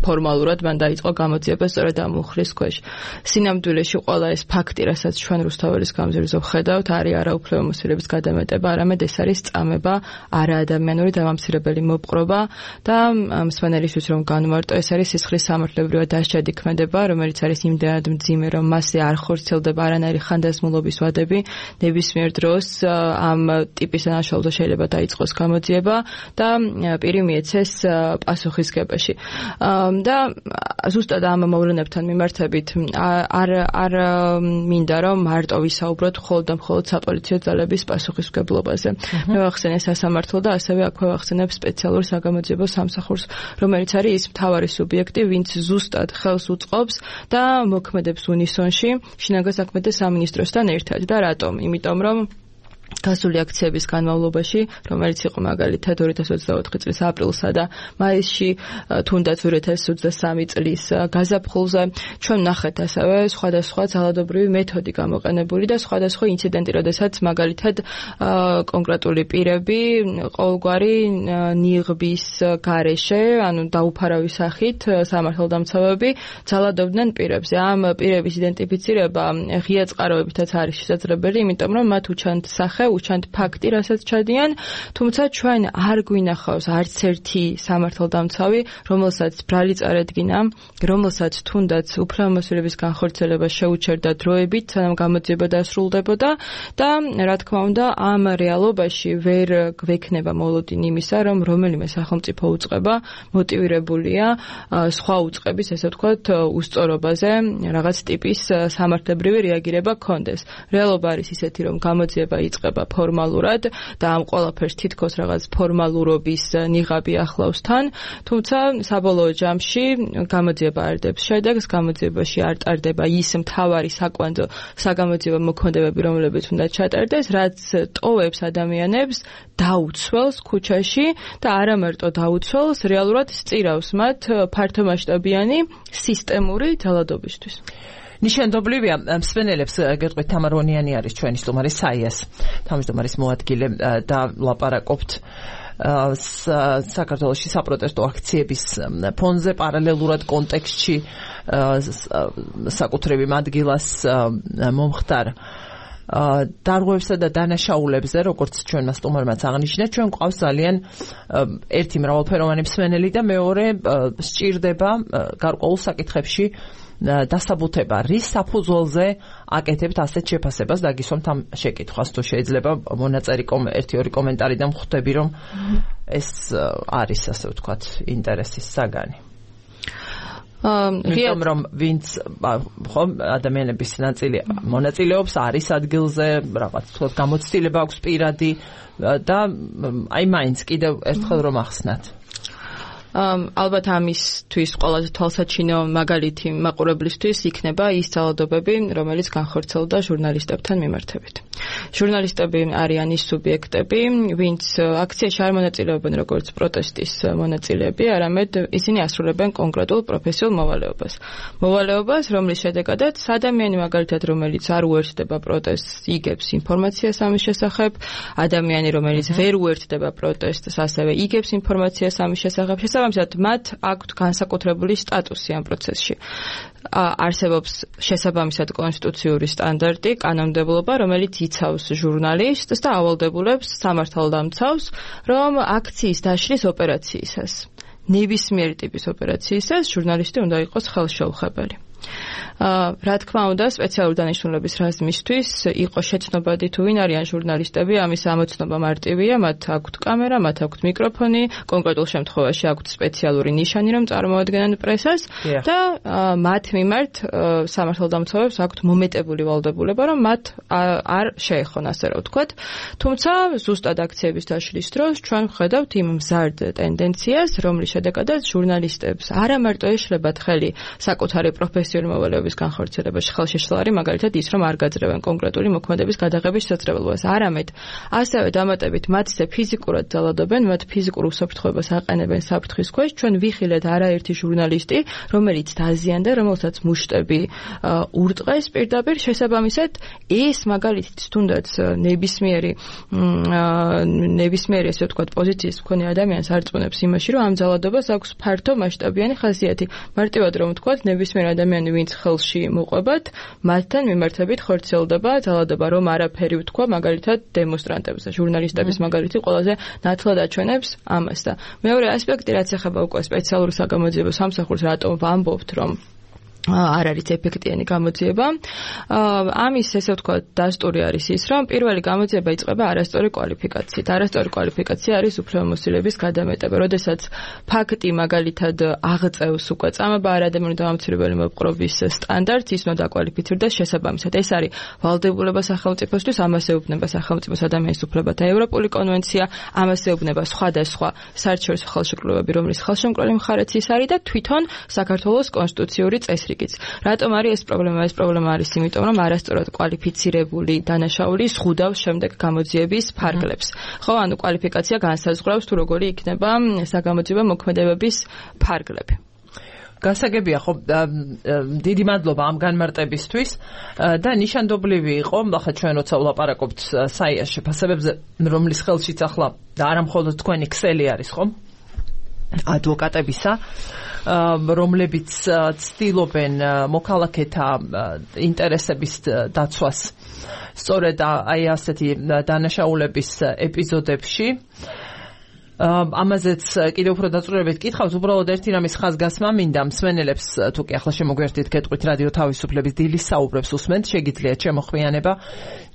ფორმალურად მან დაიწყო გამოძიება სწორედ ამ მუხლის ქვეშ. სინამდვილეში ყველა ეს ფაქტი, რასაც ჩვენ რუსთაველის გამზირზე ვხედავთ, არის არა უფლებამოსილების გადამეტება, არამედ ეს არის წამება, არაადამიანური დამამცირებელი მოპყრობა და მსმენელისთვის რომ განვარტო, ეს არის სისხლის სამართლებრივად დასჯადი ქმედება, რომელიც არის იმდენად მძიმე, რომ მასზე არ ხორციელდება არანაირი ხანდაზმულობის ვადები, ნებისმიერ დროს ამ ტიპის დანაშაულზე შეიძლება დაიწყოს გამოძიება და პირი მიეცეს პასუხისგებაში. და ზუსტად ამ მოვლენებთან მიმართებით არ მინდა რომ მარტო ვისაუბროთ მხოლოდ და მხოლოდ საპოლიციო ძალების პასუხისმგებლობაზე. მე ვახსენე სასამართლო და ასევე აქვე ვახსენებ სპეციალურ საგამოძიებო სამსახურს, რომელიც არის ის მთავარი სუბიექტი, ვინც ზუსტად ხელს უწყობს და მოქმედებს უნისონში შინაგან საქმეთა სამინისტროსთან ერთად. და რატომ? იმიტომ რომ გასული აქციების განმავლობაში, რომელიც იყო მაგალითად 2024 წლის აპრილსა და მაისში, თუნდაც 2023 წლის გაზაფხულზე, ჩვენ ნახეთ ასევე სხვადასხვა ძალადობრივი მეთოდი გამოყენებული და სხვადასხვა ინციდენტი, როდესაც მაგალითად კონკრეტული პირები ყოველგვარი ნიღბის გარეშე, ანუ დაუფარავის სახით სამართალდამცავები ძალადობდნენ პირებზე. ამ პირების იდენტიფიცირება ღია წყაროებითაც არის შესაძლებელი, იმიტომ რომ მათ უჩანთ სახე უჩანთ ფაქტი, რასაც ჩადიან, თუმცა ჩვენ არ გვინახავს არც ერთი სამართალდამცავი, რომელსაც ბრალი წარედგინა, რომელსაც თუნდაც უფლებამოსილების განხორციელება შეუჩერდა დროებით, სანამ გამოძიება დასრულდებოდა და რა თქმა უნდა, ამ რეალობაში ვერ გვექნება მოლოდინი იმისა, რომ რომელიმე სახელმწიფო უწყება მოტივირებულია სხვა უწყების, ესე ვთქვათ, უსწორობაზე რაღაც ტიპის სამართლებრივი რეაგირება ქონდეს. რეალობა არის ისეთი, რომ გამოძიება იწყება ფორმალურად და ამ ყველაფერს თითქოს რაღაც ფორმალურობის ნიღაბი ახლავს თან, თუმცა საბოლოო ჯამში გამოძიება არდებს შედეგს, გამოძიებაში არ ტარდება ის მთავარი საკვანძო საგამოძიებო მოქმედებები, რომლებიც უნდა ჩატარდეს, რაც ტოვებს ადამიანებს, დაუცველს ქუჩაში და არა მარტო დაუცველს, რეალურად სწირავს მათ ფართომასშტაბიანი სისტემური ძალადობისთვის. ნიშანდობლივია მსმენელებს გეტყვით თამარ ონიანი არის ჩვენი სტუმარი საიას თავმჯდომარის მოადგილე და ლაპარაკობთ საქართველოში საპროტესტო აქციების ფონზე პარალელურად კონტექსტში საკუთრებრივ ადგილას მომხდარ დარღვევსა და დანაშაულებზე, როგორც ჩვენმა სტუმარმაც აღნიშნა, ჩვენ გვყავს ძალიან ერთი მრავალფეროვანი მსმენელი და მეორე სჭირდება გარკვეულ საკითხებში დასაბუთება, რის საფუძველზე აკეთებთ ასეთ შეფასებას, დაგისვამთ ამ შეკითხვას, თუ შეიძლება მონაწერი ერთი-ორი კომენტარი და მხვდები, რომ ეს არის, ასე ვთქვათ, ინტერესის საგანი. რომ ვინც ხომ ადამიანების ნაწილი მონაწილეობს, არის ადგილზე, რაღაც თქოს გამოცდილება აქვს პირადი და აი მაინც კიდევ ერთხელ რომ ახსნათ. ალბათ ამისთვის ყველაზე თვალსაჩინო მაგალითი მაყურებლისთვის იქნება ის ძალადობები, რომელიც განხორციელდა ჟურნალისტებთან მიმართებით. ჟურნალისტები არიან ის სუბიექტები, ვინც აქციაში არ მონაწილეობენ როგორც პროტესტის მონაწილეები, არამედ ისინი ასრულებენ კონკრეტულ პროფესიულ მოვალეობას, რომლის შედეგადაც ადამიანი მაგალითად, რომელიც არ უერთდება პროტესტს, იგებს ინფორმაციას ამის შესახებ, ადამიანი, რომელიც ვერ უერთდება პროტესტს, ასევე იგებს ინფორმაციას ამის შესახებ, შესაბამისად, მათ აქვთ განსაკუთრებული სტატუსი ამ პროცესში. არსებობს შესაბამისად კონსტიტუციური სტანდარტი, კანონმდებლობა, რომელიც იცავს ჟურნალისტს და ავალდებულებს სამართალდამცავს, რომ აქციის დაშლის ოპერაციისას, ნებისმიერი ტიპის ოპერაციისას ჟურნალისტი უნდა იყოს ხელშეუხებელი. რა თქმა უნდა, სპეციალური დანიშნულების რაზმისთვის იყო შეცნობადი თუ ვინ არიან ჟურნალისტები, ამის ამოცნობა მარტივია, მათ აქვთ კამერა, მათ აქვთ მიკროფონი, კონკრეტულ შემთხვევაში აქვთ სპეციალური ნიშანი, რომ წარმოადგენენ პრესას და მათ მიმართ სამართალდამცავებს აქვთ მომეტებული ვალდებულება, რომ მათ არ შეეხონ, ასე რომ ვთქვათ. თუმცა, ზუსტად აქციების დაშლის დროს ჩვენ ვხედავთ იმ მზარდ ტენდენციას, რომლის შედეგადაც ჟურნალისტებს არა მარტო ეშლებათ ხელი საკუთარი პროფესიული მოვალეობის განხორციელებაში ხელშეშლა არის მაგალითად ის, რომ არ გაძრევენ კონკრეტული მოქმედების გადაღების შესაძლებლობას, არამედ ასევე დამატებით მათზე ფიზიკურად ძალადობენ, მათ ფიზიკურ უსაფრთხოებას აყენებენ საფრთხის ქვეშ. ჩვენ ვიხილეთ არაერთი ჟურნალისტი, რომელიც დაზიანდა, რომელსაც მუშტები ურტყეს პირდაპირ, შესაბამისად ეს მაგალითად თუნდაც ნებისმიერი ესე ვთქვათ პოზიციის მქონე ადამიანს არწმუნებს იმაში, რომ ამ ძალადობას აქვს ფართო მასშტაბიანი ხასიათი. მარტივად რომ ვთქვათ, ნებისმიერ ადამიანი ვინც ხელში მოყვებათ, მათთან მიმართებით ხორციელდება ძალადობა, რომ არაფერი ვთქვა მაგალითად დემონსტრანტებზე. ჟურნალისტების მაგალითი ყველაზე ნათლად აჩვენებს ამას და მეორე ასპექტი, რაც ეხება უკვე სპეციალურ საგამოძიებო სამსახურს, რატომ ვამბობთ, რომ არ არის ეფექტიანი გამოძიება. ამის ესე ვთქვათ დასტური არის ის, რომ პირველი გამოძიება იწყება არასწორი კვალიფიკაციით. არასწორი კვალიფიკაცია არის უფლებამოსილების გადამეტება. როდესაც ფაქტი მაგალითად აღწევს უკვე წამება არ ადამიანური დამამცირებელი მოპყრობის სტანდარტს, ის უნდა დაკვალიფიცირდეს შესაბამისად. ეს არის ვალდებულება სახელმწიფოსთვის, ამას ეუბნება სახელმწიფოს ადამიანის უფლებათა ევროპული კონვენცია, ამას ეუბნება სხვადასხვა საერთაშორისო ხელშეკრულებები, რომლის ხელშემკრალი მხარეც ის არის და თვითონ საქართველოს კონსტიტუციური წესრიგი. რატომ არის ეს პრობლემა? ეს პრობლემა არის იმიტომ, რომ არასწორად კვალიფიცირებული დანაშაული ზღუდავს შემდეგ გამოძიების ფარგლებს. ხო, ანუ კვალიფიკაცია განსაზღვრავს თუ როგორი იქნება საგამოძიებო მოქმედებების ფარგლები. გასაგებია, ხო, დიდი მადლობა ამ განმარტებისთვის და ნიშანდობლივი იყო, ახლა ჩვენ როცა ვლაპარაკობთ საიას შეფასებებზე, რომლის ხელშიც ახლა და არა მხოლოდ თქვენი ქსელი არის, ხო? ადვოკატებისა, რომლებიც ცდილობენ მოქალაქეთა ინტერესების დაცვას სწორედ აი ასეთი დანაშაულების ეპიზოდებში. ამაზეც კიდევ უფრო დაწვრილებით კითხავს, უბრალოდ ერთი რამის ხაზგასმა მინდა მსმენელებს, თუ კი ახლა შემოგვერთით გეტყვით რადიო თავისუფლების დილის საუბრებს უსმენთ, შეგიძლიათ შემოხვიანება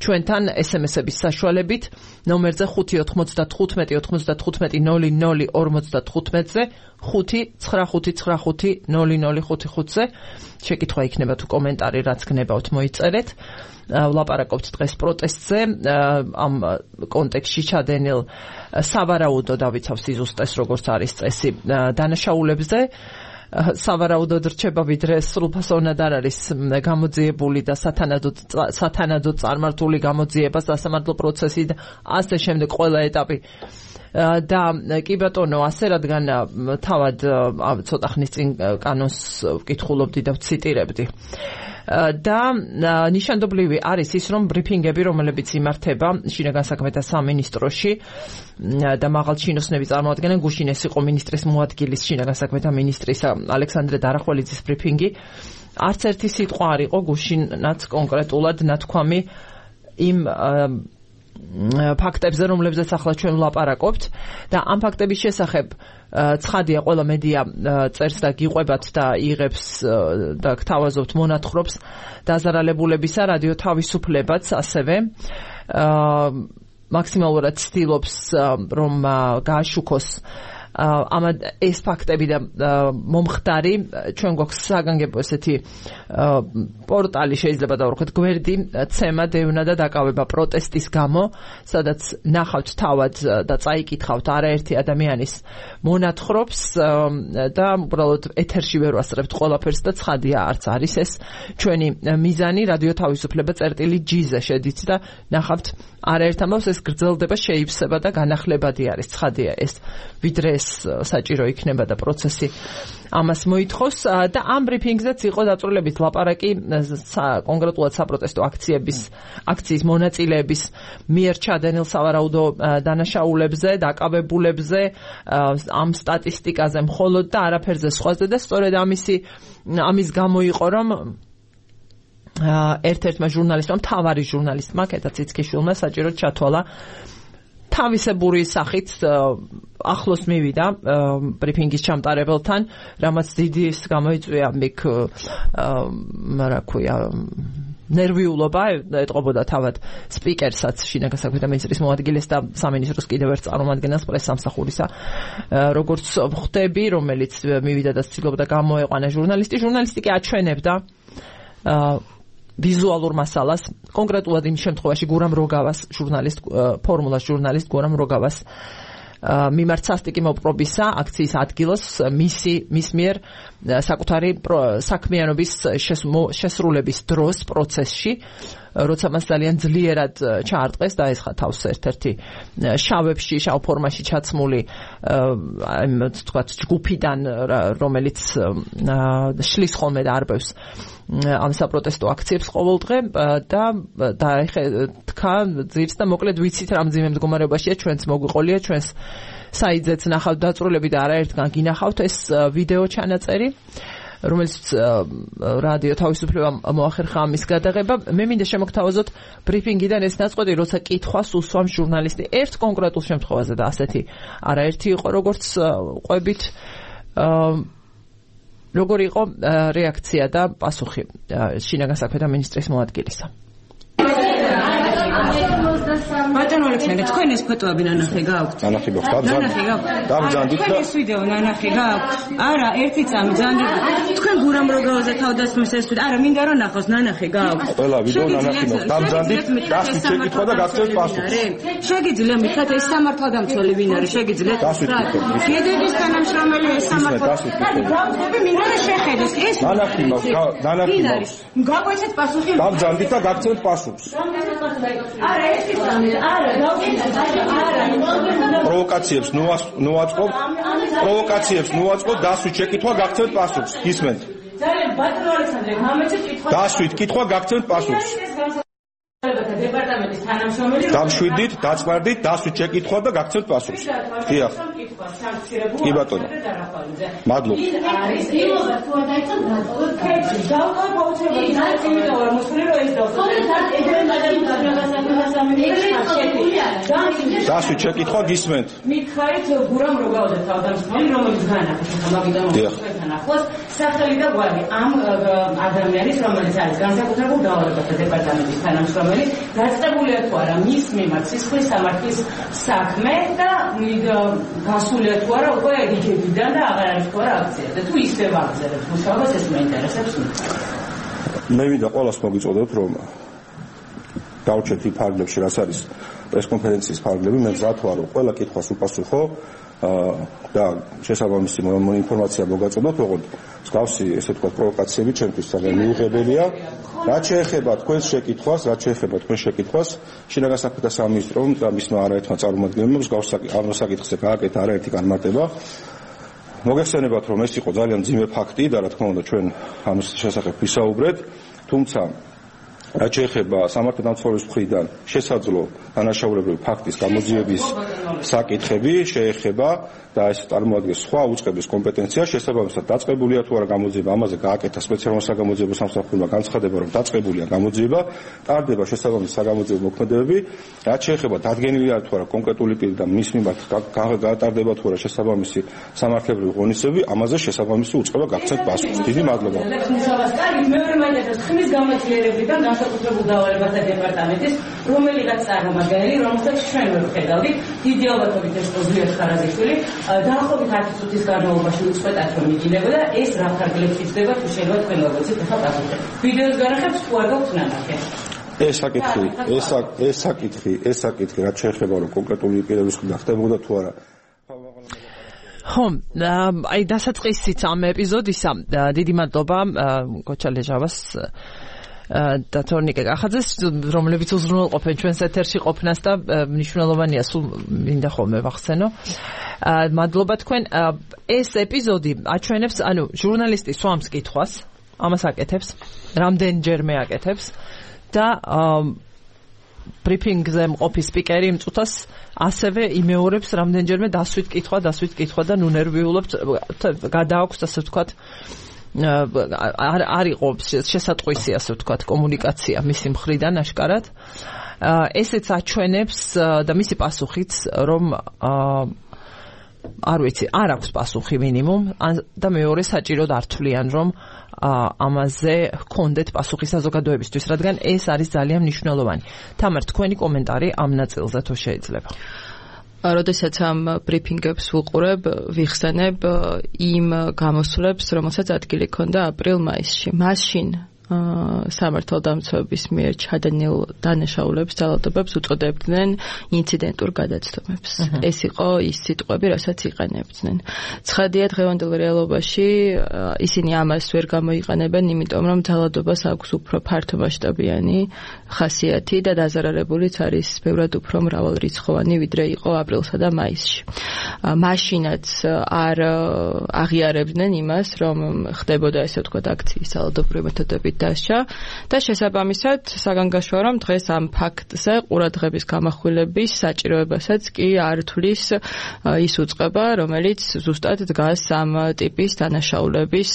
ჩვენთან SMS-ების საშუალებით ნომერზე 595-95-95-00-55-ზე 595-95-00-55-ზე შეკითხვა იქნება თუ კომენტარი რაც გნებავთ მოიწერეთ. ვლაპარაკობთ დღეს პროტესტზე, ამ კონტექსტში ჩადენილ სავარაუდო დავიცავ სიზუსტეს, როგორც არის წესი დანაშაულებზე. სავარაუდოდ რჩება, ვიდრე სრულფასოვნად არ არის გამოძიებული და სათანადოდ წარმართული გამოძიება, სასამართლო პროცესი და ასე შემდეგ ყველა ეტაპი. და კი ბატონო, ასე რადგან თავად ცოტა ხნის წინ კანონს ვკითხულობდი და ვციტირებდი. და ნიშანდობლივი არის ის, რომ ბრიფინგები, რომლებიც იმართება შინაგან საქმეთა სამინისტროში და მაღალჩინოსნები წარმოადგენენ, გუშინ ეს იყო მინისტრის მოადგილის, შინაგან საქმეთა მინისტრის ალექსანდრე დარახველიძის ბრიფინგი. არც ერთი სიტყვა არ იყო გუშინაც კონკრეტულად ნათქვამი იმ ფაქტებზე, რომლებზეც ახლა ჩვენ ვლაპარაკობთ და ამ ფაქტების შესახებ ცხადია, ყველა მედია წერს და გიყვებათ და იღებს და გთავაზობთ მონათხრობს დაზარალებულებისა, რადიო თავისუფლებაც ასევე მაქსიმალურად ცდილობს რომ გააშუქოს ეს ფაქტები და მომხდარი ჩვენ გვაქვს საგანგებო ესეთი პორტალი შეიძლება დავუხოთ გვერდი ცემა დევნა და დაკავება პროტესტის გამო სადაც ნახავთ თავად და წაიკითხავთ არაერთი ადამიანის მონათხრობს და უბრალოდ ეთერში ვერ ვასწრებთ ყველაფერს და ცხადია არც არის ეს ჩვენი მიზანი რადიო თავისუფლება წერტილი-G-ზე შედით და ნახავთ არაერთ ამბავს ეს გრძელდება შეივსება და განახლებადი არის ცხადია ეს ვიდრე ეს საჭირო იქნება და პროცესი ამას მოითხოვს და ამ ბრიფინგზეც იყო დაწვრილებით ლაპარაკი კონკრეტულად საპროტესტო აქციის მონაწილეების მიერ ჩადენილ სავარაუდო დანაშაულებზე, დაკავებულებზე, ამ სტატისტიკაზე მხოლოდ და არაფერზე სხვაზე და სწორედ ამის გამო იყო რომ ერთ-ერთმა ჟურნალისტმა, მთავარი ჟურნალისტმა, კეთა ციცქიშვილმა საჭიროდ ჩათვალა თავისებური სახით ახლოს მივიდა ბრიფინგის ჩამტარებელთან, რამაც დიდი გამოიწვია მიქ რა ქვია ნერვიულობა ეტყობოდა თავად სპიკერსაც შინაგან საქმეთა მინისტრის მოადგილეს და სამინისტროს კიდევ ერთ წარმომადგენელს პრესსამსახურისა როგორც ხვდები რომელიც მივიდა და ცდილობდა გამოეყვანა ჟურნალისტი კი აჩვენებდა ვიზუალურ მასალას კონკრეტულად იმ შემთხვევაში გურამ როგავას ფორმულას ჟურნალისტ გურამ როგავას მიმართ სასტიკი მოპყრობისა აქციის ადგილას მის მიერ საკუთარი საქმიანობის შესრულების დროს პროცესში როცა მას ძალიან ძლიერად ჩაარტყეს და ეს თავს ერთ-ერთი შავ ფორმაში ჩაცმული თქვათ ჯგუფიდან რომელიც შლის ხოლმე და არბევს ამ საპროტესტო აქციებს ყოველდღე და თქვა ძირს და მოკლედ ვიცით რა მძიმე მდგომარეობაშია ჩვენც მოგვიყოლია ჩვენს საიძეც ნახავთ დაწვრილები და არაერთგან გინახავთ ეს ვიდეო ჩანაწერი რომელიც რადიო თავისუფლება მოახერხა ამის გადაღება მე მინდა შემოგთავაზოთ ბრიფინგიდან ეს ნაწყვეტი როცა კითხვას უსვამს ჟურნალისტი ერთ კონკრეტულ შემთხვევაზე და ასეთი არაერთი იყო როგორც ყვებით როგორი იყო რეაქცია და პასუხი შინაგან საქმეთა მინისტრის მოადგილისა ბატონო ალექსანდრე თქვენ ეს ფოტოები ნანახი გაქვთ? ნანახი გაქვთ? დამძანდით და ეს ვიდეო ნანახი გაქვთ? არა, ერთი წამი ძანდით. თქვენ გურამ როგავაზე თავდასხმის ეს ვიდეო. არა, მინდა რომ ნახოს, ნანახი გაქვთ. ყველა ვიდეო ნანახი გაქვთ. დამძანდით და შეკითხვა და გაგცევთ პასუხს. შეგიძლია მითხრათ ეს სამართალდამცველი ვინ არის? შეგიძლიათ? გედების თანამშრომელი ეს სამართალდამცველი. გავხდები მინდა რომ შეხედოს ეს. ნანახი მაქვს. გაგვეცეთ პასუხი. დამძანდით და გაგცევთ პასუხს. არა, ერთი წამი. არა, პროვოკაციებს ნუაწყობთ, დასვით შეკითხვა გაგცევთ პასუხს. გისმენთ? ძალიან ბატონო ალექსანდრე, გამეცეთ კითხვა. დასვით კითხვა გაგცევთ პასუხს. დეპარტამენტის თანამშრომელი დამშვიდით, დაწვარდით, დასვით შეკითხვა და გაგცევთ პასუხს. დიახ. კი ბატონო. მადლობა. არის იმობა თუ არ დაიწყო დაწოვოთ. დავყავ პაუჩები. იმით ვარ მოსული რომ ეს დავყავ. დასვით შეკითხვა გისმენთ? მითხარით გურამ როგავაზე თავდამსხმელი რომელიც განახორციელა მაგიდან მოხდა ახლოს სახელი და გვარი ამ ადამიანის რომელიც არის განსაკუთრებულ დაავადებათა დეპარტამენტის თანამშრომელი დაწყებულია თუ არა მის მიმართ სისხლის სამართლის საქმე და გასულია თუ არა უკვე რიგებიდან და აღარ არის თუ არა აქცია და თუ ისევ აღზევს მუშაობას ეს მეინტერესებს მე მინდა ყველას მოგიწოდოთ რომ დავუჩეთ იმ ფარგლებში რაც არის პრესკონფერენციის ფარგლები მე მზად ვარ რომ ყველა კითხვას უპასუხო და შესაბამისი ინფორმაცია მოგაწოდოთ ოღონდ მსგავსი ესე ვთქვათ პროვოკაციები ჩემთვის ძალიან მიუღებელია რაც შეეხება თქვენს შეკითხვას შინაგან საქმეთა სამინისტრომ და მისმა არაერთმა წარმომადგენელმა მსგავს ამ საკითხზე გააკეთა არაერთი განმარტება მოგეხსენებათ რომ ეს იყო ძალიან მძიმე ფაქტი და რა თქმა უნდა ჩვენ ამის შესახებ ვისაუბრეთ თუმცა რაც შეეხება სამართალდამცველის მხრიდან შესაძლო დანაშაულებრივი ფაქტის გამოძიების საკითხები შეეხება და ეს წარმოადგენს სხვა უწყების კომპეტენციას შესაბამისად დაწყებულია თუ არა გამოძიება ამაზე გააკეთა სპეციალურმა საგამოძიებო სამსახურმა განცხადება რომ დაწყებულია გამოძიება ტარდება შესაბამისი საგამოძიებო მოქმედებები რაც შეეხება დადგენილია თუ არა კონკრეტული პირი და მის მიმართ გატარდება თუ არა შესაბამისი სამართლებრივი ღონისძიებები ამაზე შესაბამისი უწყება გაგცეთ პასუხს დიდი მადლობა მეორე მაინტერესებს ხმის გამოძლიერებიდან განსაკუთრებულ დავალებათა დეპარტამენტის რომელიღაც წარმომადგენელი, რომელსაც ჩვენ ვხედავდით, დიდი ალბათობით ეს ზვიად ხარაზიშვილი, დაახლოებით 10 წუთის განმავლობაში უწყვეტად რომ იგინებოდა, ეს რა ფარგლებს იწდება თუ შეიძლება თქვენ მოგეცით ახლა პასუხი. ვიდეოს განახებს თუ არ გაქვთ ნანახი. ეს საკითხი რაც შეეხება რომ კონკრეტული პირების მხრიდან ხდებოდა თუ არა. ხო, აი დასაწყისიც ამ ეპიზოდისა დიდი მადლობა გოჩა ლეჟავას და თორნიკე კახაძეს, რომლებიც უზრუნველყოფენ ჩვენს ეთერში ყოფნას და მნიშვნელოვანია სულ მინდა ხოლმე ვახსენო. მადლობა თქვენ. ეს ეპიზოდი აჩვენებს, ანუ ჟურნალისტი სვამს კითხვას, ამას აკეთებს, რამდენჯერმე აკეთებს და ბრიფინგზე მყოფი სპიკერი იმ წუთას ასევე იმეორებს რამდენჯერმე დასვით კითხვა და ნუ ნერვიულობთ, გადააქვს ასე ვთქვათ არ იყო შესატყვისი ასე ვთქვათ კომუნიკაცია მისი მხრიდან აშკარად. ესეც აჩვენებს და მისი პასუხიც რომ არ ვიცი, არ აქვს პასუხი მინიმუმ და მეორე საჭიროდ არ თვლიან რომ ამაზე ჰქონდეთ პასუხი საზოგადოებისთვის, რადგან ეს არის ძალიან მნიშვნელოვანი. თამარ, თქვენი კომენტარი ამ ნაწილზე თუ შეიძლება. როდესაც ამ ბრიფინგებს ვუყურებ, ვიხსენებ იმ გამოსვლებს, რომელსაც ადგილი ჰქონდა აპრილ-მაისში. მაშინ სამართალდამცავების მიერ ჩადენილ დანაშაულებს ძალადობებს უწოდებდნენ ინციდენტურ გადაცდომებს. ეს იყო ის სიტყვები, რასაც იყენებდნენ. ცხადია, დღევანდელ რეალობაში ისინი ამას ვერ გამოიყენებენ, იმიტომ რომ ძალადობას აქვს უფრო ფართომასშტაბიანი ხასიათი და დაზარალებულიც არის ბევრად უფრო მრავალრიცხოვანი, ვიდრე იყო აპრილსა და მაისში. მაშინაც არ აღიარებდნენ იმას, რომ ხდებოდა ესე ვთქვათ აქციის ძალადობრივი მეთოდებით დასჯა და შესაბამისად საგანგაშოა რომ დღეს ამ ფაქტზე ყურადღების გამახვილების საჭიროებასაც კი არ თვლის ის უწყება, რომელიც ზუსტად დგას ამ ტიპის დანაშაულების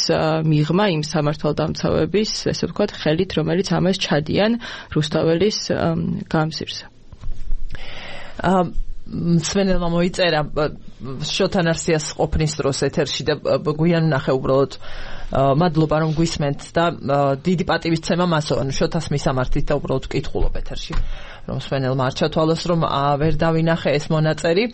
მიღმა იმ სამართალდამცავების, ესე ვთქვათ, ხელით, რომელიც ამას ჩადიან რუსთაველის გამზირზე. სვენელმა მოიწერა შოთან არსიას ყოფნის დროს ეთერში და გვიან ვნახე უბრალოდ მადლობა რომ გვისმენთ და დიდი პატივისცემა მასო, ანუ შოთას მისამართით და უბრალოდ ვკითხულობ ეთერში რომ სვენელმა არ ჩათვალოს რომ ვერ დავინახე ეს მონაწერი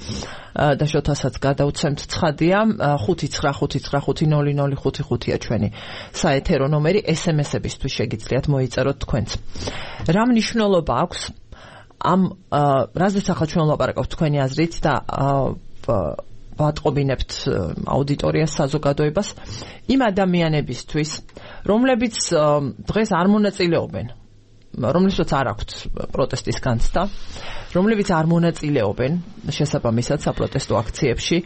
და შოთასაც გადავცემთ. ცხადია 595500555-ია ჩვენი საეთერო ნომერი, SMS-ებისთვის შეგიძლიათ მოიწეროთ თქვენც. რა მნიშვნელობა აქვს ამ რაზეც ახლა ჩვენ ვლაპარაკობთ თქვენი აზრით და ვატყობინებთ აუდიტორიას, საზოგადოებას იმ ადამიანებისთვის, რომლებიც დღეს არ მონაწილეობენ, რომლებსაც არ აქვთ პროტესტის განცდა, რომლებიც არ მონაწილეობენ შესაბამისად საპროტესტო აქციებში,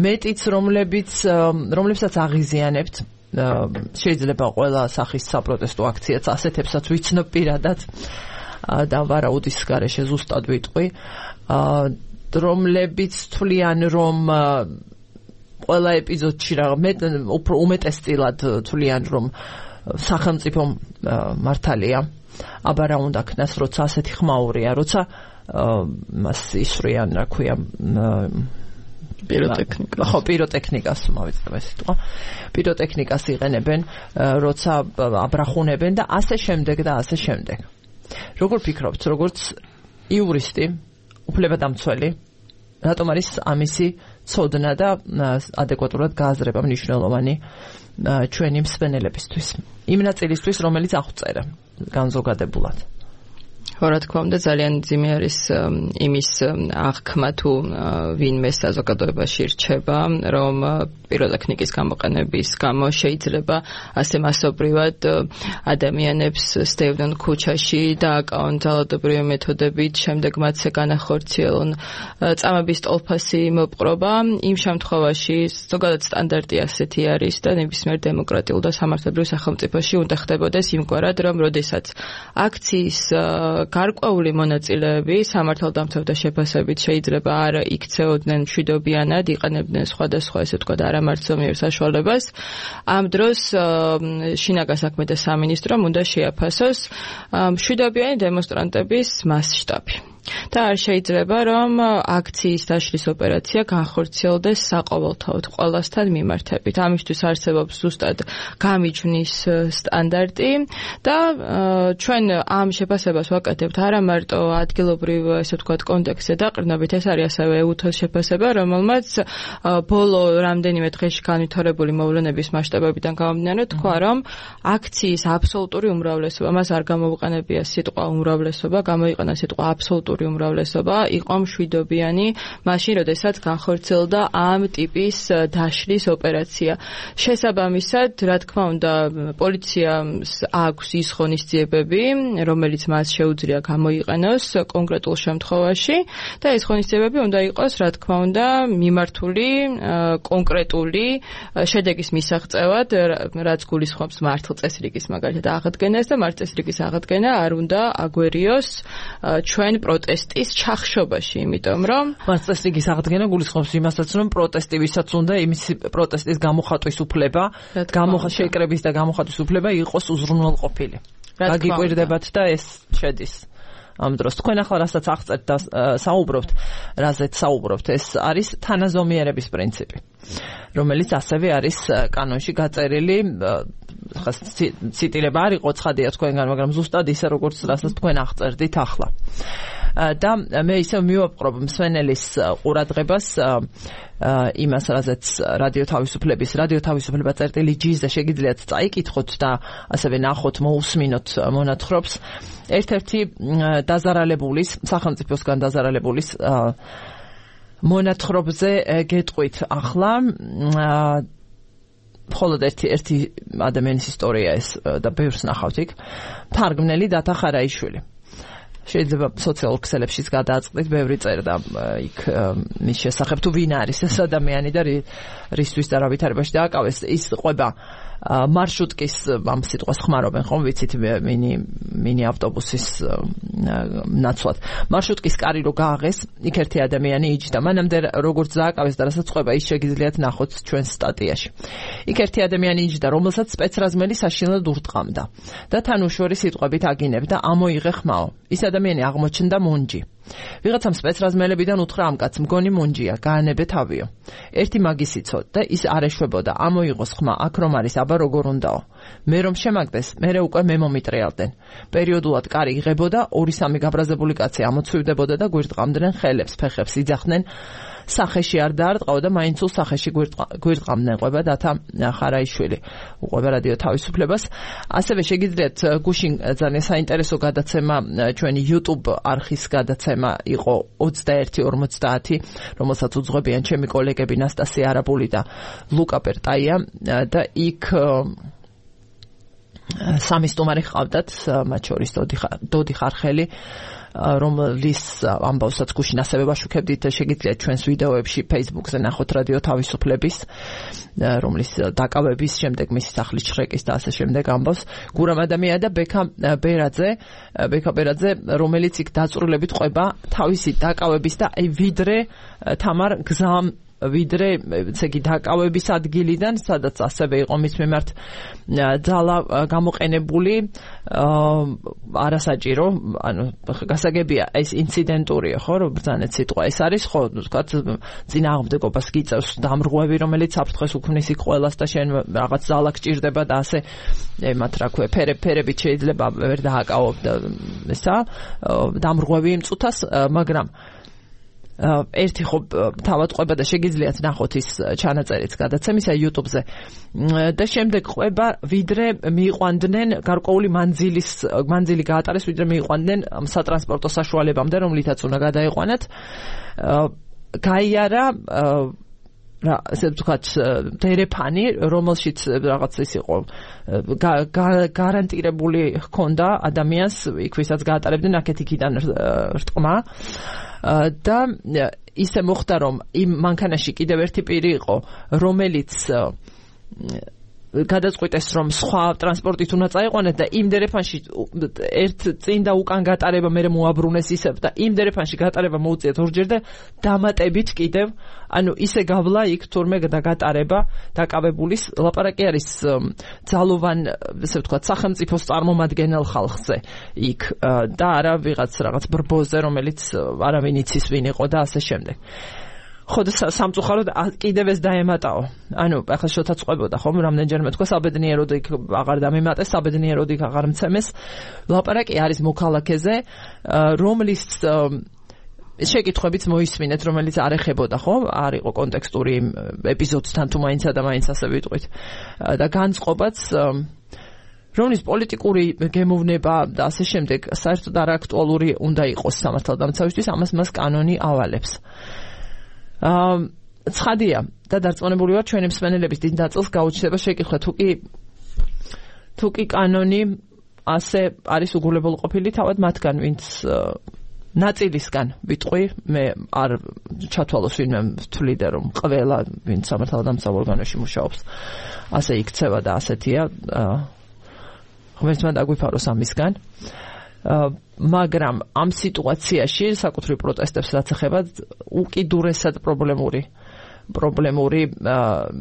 მეტიც რომლებსაც აღიზიანებთ, შეიძლება ყველა სახის საპროტესტო აქციაც ასეთებსაც ვიცნობ პირადად და ვარაუდის გარეშე ზუსტად ვიტყვი, რომლებიც თვლიან რომ ყველა ეპიზოდში უფრო უმეტესწილად თვლიან რომ სახელმწიფო მართალია, აბა რა უნდა ქნას, როცა ასეთი ხმაურია, როცა მას ისვრიან, რა ქვია, პიროტექნიკას. ხო, პიროტექნიკას მოვიწყებ ეს სიტყვა. პიროტექნიკას იყენებენ, როცა აბრახუნებენ და ასე შემდეგ და ასე შემდეგ. როგორ ფიქრობთ, როგორც იურისტი, უფლებადამცველი, რატომ არის ამისი ცოდნა და ადეკვატურად გააზრება მნიშვნელოვანი ჩვენი მსვენელებისთვის, იმ ნაწილისთვის, რომელიც აღწერა განზოგადებულად? რა თქმა უნდა, ძალიან ძიმე არის იმის აღქმა თუ ვინმე საზოგადოებაში რჩება, რომ პიროტექნიკის გამოყენების გამო შეიძლება ასე მასობრივად ადამიანებს სტევდნენ ქუჩაში და აკავონ ძალადობრივი მეთოდებით, შემდეგ მათზე განახორციელონ წამების ტოლფასი მოპყრობა. იმ შემთხვევაში ზოგადად სტანდარტი ასეთი არის და ნებისმიერ დემოკრატიულ და სამართლებრივ სახელმწიფოში უნდა ხდებოდეს იმგვარად, რომ როდესაც აქციის გარკვეული მონაწილეები სამართალდამცავთა შეფასებით შეიძლება არ იქცეოდნენ მშვიდობიანად, იყენებდნენ სხვადასხვა ესე ვთქვათ არამართლმიერ საშუალებას. ამ დროს შინაგან საქმეთა სამინისტრომ უნდა შეაფასოს მშვიდობიანი დემონსტრანტების მასშტაბი. და არ შეიძლება რომ აქციის დაშლის ოპერაცია განხორციელდეს საყოველთაოდ ყველასთან მიმართებით. ამისთვის არსებობს ზუსტად გამიჯვნის სტანდარტი და ჩვენ ამ შეფასებას ვაკეთებთ არა მარტო ადგილობრივ ესე ვთქვათ კონტექსტზე დაყრდნობით, ეს არის ასევე EUTOS შეფასება, რომელმაც ბოლო რამდენიმე დღეში განვითარებული მოვლენების მასშტაბებიდან გამომდინარე თქვა, რომ აქციის აბსოლუტური უმრავლესობა, მას არ გამოუყენებია სიტყვა უმრავლესობა, გამოიყენა სიტყვა აბსოლუტური უმრავლესობა, იყო მშვიდობიანი მაშინ, როდესაც განხორციელდა ამ ტიპის დაშლის ოპერაცია. შესაბამისად, რა თქმა უნდა, პოლიციას აქვს ის ღონისძიებები, რომელიც მას შეუძლია გამოიყენოს კონკრეტულ შემთხვევაში და ეს ღონისძიებები უნდა იყოს, რა თქმა უნდა, მიმართული კონკრეტული შედეგის მისაღწევად, რაც გულისხმობს მართლწესრიგის მაგალითად აღდგენას და მართლწესრიგის აღდგენა არ უნდა აგვერიოს ჩვენ პროტესტის ჩახშობაში, იმიტომ რომ მართლწესრიგის აღდგენა გულისხმობს იმასაც, რომ პროტესტი ვისაც უნდა იმის პროტესტის გამოხატვის უფლება, შეკრების და გამოხატვის უფლება იყოს უზრუნველყოფილი. გაგიკვირდებათ და ეს შედის ამ დროს. თქვენ ახლა რასაც აღწერთ და საუბრობთ, რაზეც საუბრობთ, ეს არის თანაზომიერების პრინციპი, რომელიც ასევე არის კანონში გაწერილი. ციტირება არ იყო ცხადია თქვენგან, მაგრამ ზუსტად ისე როგორც რასაც თქვენ აღწერდით ახლა. და მე ისევ მივაპყრობ მსმენელის ყურადღებას იმას, რაზეც რადიო თავისუფლება წერტილი.gz-ზე შეგიძლიათ წაიკითხოთ და ასევე ნახოთ, მოусმინოთ მონათხრობს. ერთ-ერთი დაზარალებულის, სახელმწიფოსგან დაზარალებულის მონათხრობზე გეტყვით ახლა მხოლოდ ერთი ადამიანის ისტორია ეს და ბევრს ნახავთ იქ. თარგმნელი დათა ხარაიშვილი. შეიძლება სოციალურ ქსელებშიც გადააწყდით, ბევრი წერდა იქ მის შესახებ, თუ ვინ არის ეს ადამიანი და რისთვის და რა ვითარებაში დააკავეს. ის ყვება მარშრუტკის ამ სიტყვას ხმარობენ, ხომ ვიცით, მინი ავტობუსის ნაცვლად. მარშრუტკის კარი რო გააღეს, იქ ერთი ადამიანი იჯდა. მანამდე როგორც დააკავეს და რასაც ყვება, ის შეგიძლიათ ნახოთ ჩვენს სტატიაში. იქ ერთი ადამიანი იჯდა, რომელსაც სპეცრაზმელი საშინლად ურტყამდა და თან უშუალო სიტყვებით აგინებდა, ამოიღე ხმაო. ის ადამიანი აღმოჩნდა მონჯი. ვიღაცამ სპეცრაზმელებიდან უთხრა ამ კაცს, მგონი მონჯია, გაანებე თავიო. ერთი მაგის იცო და ის არ ეშვებოდა, ამოიღოს ხმა, აქ რომ არის, აბა როგორ უნდაო. მე რომ შემაგდეს, მერე უკვე მე მომიტრიალდნენ. პერიოდულად კარი იღებოდა, 2-3 გაბრაზებული კაცი ამოცვივდებოდა და გვირტყამდნენ ხელებს, ფეხებს იძახდნენ. სახეში არ დაარტყაო და მაინც ულ სახეში გვირტყამდნენ. ყვება დათა ხარაიშვილი, უყვება რადიო თავისუფლებას. ასევე შეგიძლიათ გუშინ ძალიან საინტერესო გადაცემა, ჩვენი YouTube არხის გადაცემა იყო 21:50, რომელსაც უძღვებიან ჩემი კოლეგები ნასტასია არაბული და ლუკა პერტაია და იქ სამი სტუმარი ჰყავდათ, მათ შორის დოდი ხარხელი, რომლის ამბავსაც გუშინ ასევე ვაშუქებდით, შეგიძლიათ ჩვენს ვიდეოებში Facebook-ზე ნახოთ რადიო თავისუფლების, რომლის დაკავების შემდეგ მისი სახლის შრეკის და ასე შემდეგ ამბავს. გურამ ადამიანია და ბექა ბერაძე, რომელიც იქ დაწვრილებით ყვება თავისი დაკავების და ვიდრე თამარ გზამ ვიდრე ცეგი დაკავების ადგილიდან, სადაც ასევე იყო მის მიმართ ძალა გამოყენებული, არასაჭირო, ანუ გასაგებია ეს ინციდენტურია, ხო, რომ ბრძანეთ სიტყვა ეს არის, ხო, ვთქვათ, წინააღმდეგობას გიწევს დამრღვევი, რომელიც საფრთხეს უქმნის იქ ყველას და შენ რაღაც ძალა გჭირდება და ასე ემათ რა ქვია, ფერებით შეიძლება ვერ დააკავო ესა დამრღვევი იმ წუთას, მაგრამ ერთი ხო თავად ყვება და შეგიძლიათ ნახოთ ის ჩანაწერიც გადაცემისა YouTube-ზე და შემდეგ ყვება ვიდრე მიიყვანდნენ გარკვეული მანძილი გაატარეს, ვიდრე მიიყვანდნენ სატრანსპორტო საშუალებამდე, რომლითაც უნდა გადაიყვანათ. გაიარა რა ასე ვთქვათ დერეფანი, რომელშიც რაღაც ის იყო გარანტირებული ჰქონდა ადამიანს, იქ ვისაც გაატარებდნენ აქეთ-იქიდან რტყმა. და ისე მოხდა, რომ იმ მანქანაში კიდევ ერთი პირი იყო, რომელიც გადაწყვიტეს რომ სხვა ტრანსპორტით უნდა წაიყვანეთ და იმ დერეფანში ერთ წინ და უკან გატარება მე მოაბრუნეს ისევ და იმ დერეფანში გატარება მოუწიათ ორჯერ და დამატებით კიდევ ანუ ისე გავლა იქ თურმე და გატარება დაკავებულის ლაპარაკი არის ძალოვან ესე ვთქვათ სახელმწიფოს წარმომადგენელ ხალხზე იქ და არა რაღაც ბრბოზე რომელიც არავინ იცის ვინ იყო და ასე შემდეგ ხო და სამწუხაროდ კიდევ ეს დაემატაო. ანუ ახლა შოთა წყვებოდა ხომ რამდენჯერმე თქვა საბედნიეროდ იქ აღარ დამემატეს, საბედნიეროდ იქ აღარ მცემეს. ლაპარაკი არის მოქალაქეზე, რომლის შეკითხვებიც მოისმინეთ, რომელიც არ ეხებოდა ხო? არ იყო კონტექსტური ეპიზოდთან თუ მაინცა და მაინც ასე ვიტყვით. და განწყობაც რომლის პოლიტიკური გემოვნება და ასე შემდეგ საერთოდ არ აქტუალური უნდა იყოს სამართალდამცავისთვის, ამას მას კანონი ავალებს. ცხადია და დარწმუნებული ვარ ჩვენი მსმენელების დიდ ნაწილს გაუჩნდება შეკითხვა თუ კი კანონი ასე არის უგულებელყოფილი თავად მათგან ვინც ნაწილისგან ვიტყვი მე არ ჩათვალოს ვინმე ვთვლიდა რომ ყველა ვინც სამართალდამცავ ორგანოში მუშაობს ასე იქცევა და ასეთია ღმერთმა დაგვიფაროს ამისგან მაგრამ ამ სიტუაციაში საკუთრივ პროტესტებს რაც ეხება უკიდურესად პრობლემური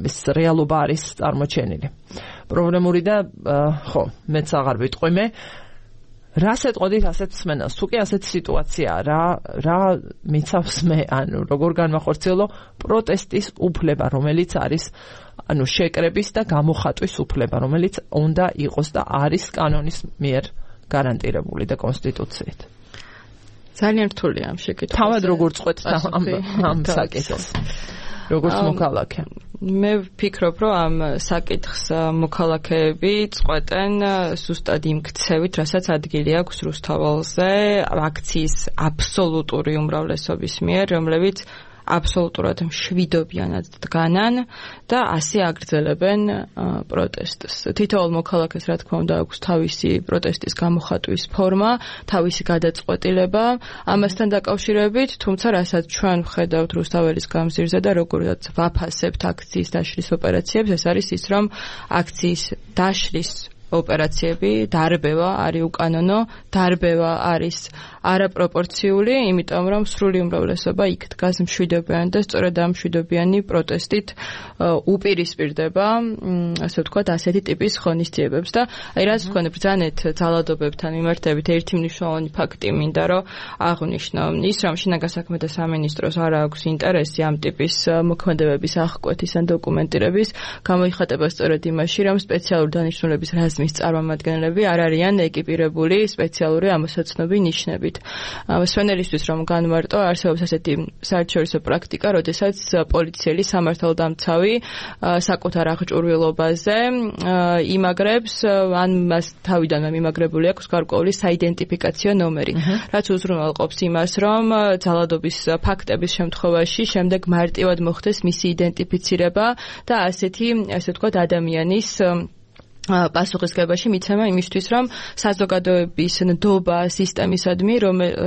ის რეალობა არის წარმოჩენილი. პრობლემური და ხო, მეც აღარ ვიტყვი მე რას ეტყოდით ასეთ მსმენელს? თუ კი ასეთი სიტუაციაა, რა მიცავს მე, ანუ როგორ განვახორციელო პროტესტის უფლება, რომელიც არის ანუ შეკრების და გამოხატვის უფლება, რომელიც უნდა იყოს და არის კანონის მიერ გარანტირებული და კონსტიტუციით. ძალიან რთულია ამ შეკითხვაზე. თავად როგორ წყვეთ ამ საკითხს? როგორც მოქალაქე. მე ვფიქრობ, რომ ამ საკითხს მოქალაქეები წყვეტენ ზუსტად იმ ქცევით, რასაც ადგილი აქვს რუსთაველზე, აქციის აბსოლუტური უმრავლესობის მიერ, რომლებიც აბსოლუტურად მშვიდობიანად დგანან და ასე აგრძელებენ პროტესტს. თითოეულ მოქალაქეს რა თქმა უნდა აქვს თავისი პროტესტის გამოხატვის ფორმა, თავისი გადაწყვეტილება ამასთან დაკავშირებით, თუმცა რასაც ჩვენ ვხედავთ რუსთაველის გამზირზე და როგორაც ვაფასებთ აქციის დაშლის ოპერაციებს, ეს არის ის, რომ აქციის დაშლის ოპერაციები დარბევა არის უკანონო, დარბევა არის არაპროპორციული, იმიტომ რომ სრული უმრავლესობა იქ დგას მშვიდობიანი და სწორედ ამ მშვიდობიანი პროტესტით უპირისპირდება, ასე ვთქვათ, ასეთი ტიპის ღონისძიებებს და აი რაც ვქონე ბრძანეთ ძალადობებთან მიმართებით ერთი მნიშვნელოვანი ფაქტი მინდა რომ აღვნიშნო ის რომ შინაგან საქმეთა სამინისტროს არ აქვს ინტერესი ამ ტიპის მოქმედებების აღკვეთის ან დოკუმენტირების გამოიხატება სწორედ იმაში რომ სპეციალური დანიშნულების რაზმის წარმომადგენლები არ არიან ეკიპირებული სპეციალური ამოსაცნობი ნიშნებით. მსმენელისთვის რომ განვარტო, არსებობს ასეთი საერთაშორისო პრაქტიკა, როდესაც პოლიციელი სამართალდამცავი საკუთარ აღჭურვილობაზე იმაგრებს, ან მას თავიდანვე მიმაგრებული აქვს გარკვეული საიდენტიფიკაციო ნომერი, რაც უზრუნველყოფს იმას, რომ ძალადობის ფაქტების შემთხვევაში შემდეგ მარტივად მოხდეს მისი იდენტიფიცირება და ასეთი, ასე ვთქვათ, ადამიანის პასუხისგებაში მიცემა იმისთვის, რომ საზოგადოების ნდობა სისტემისადმი,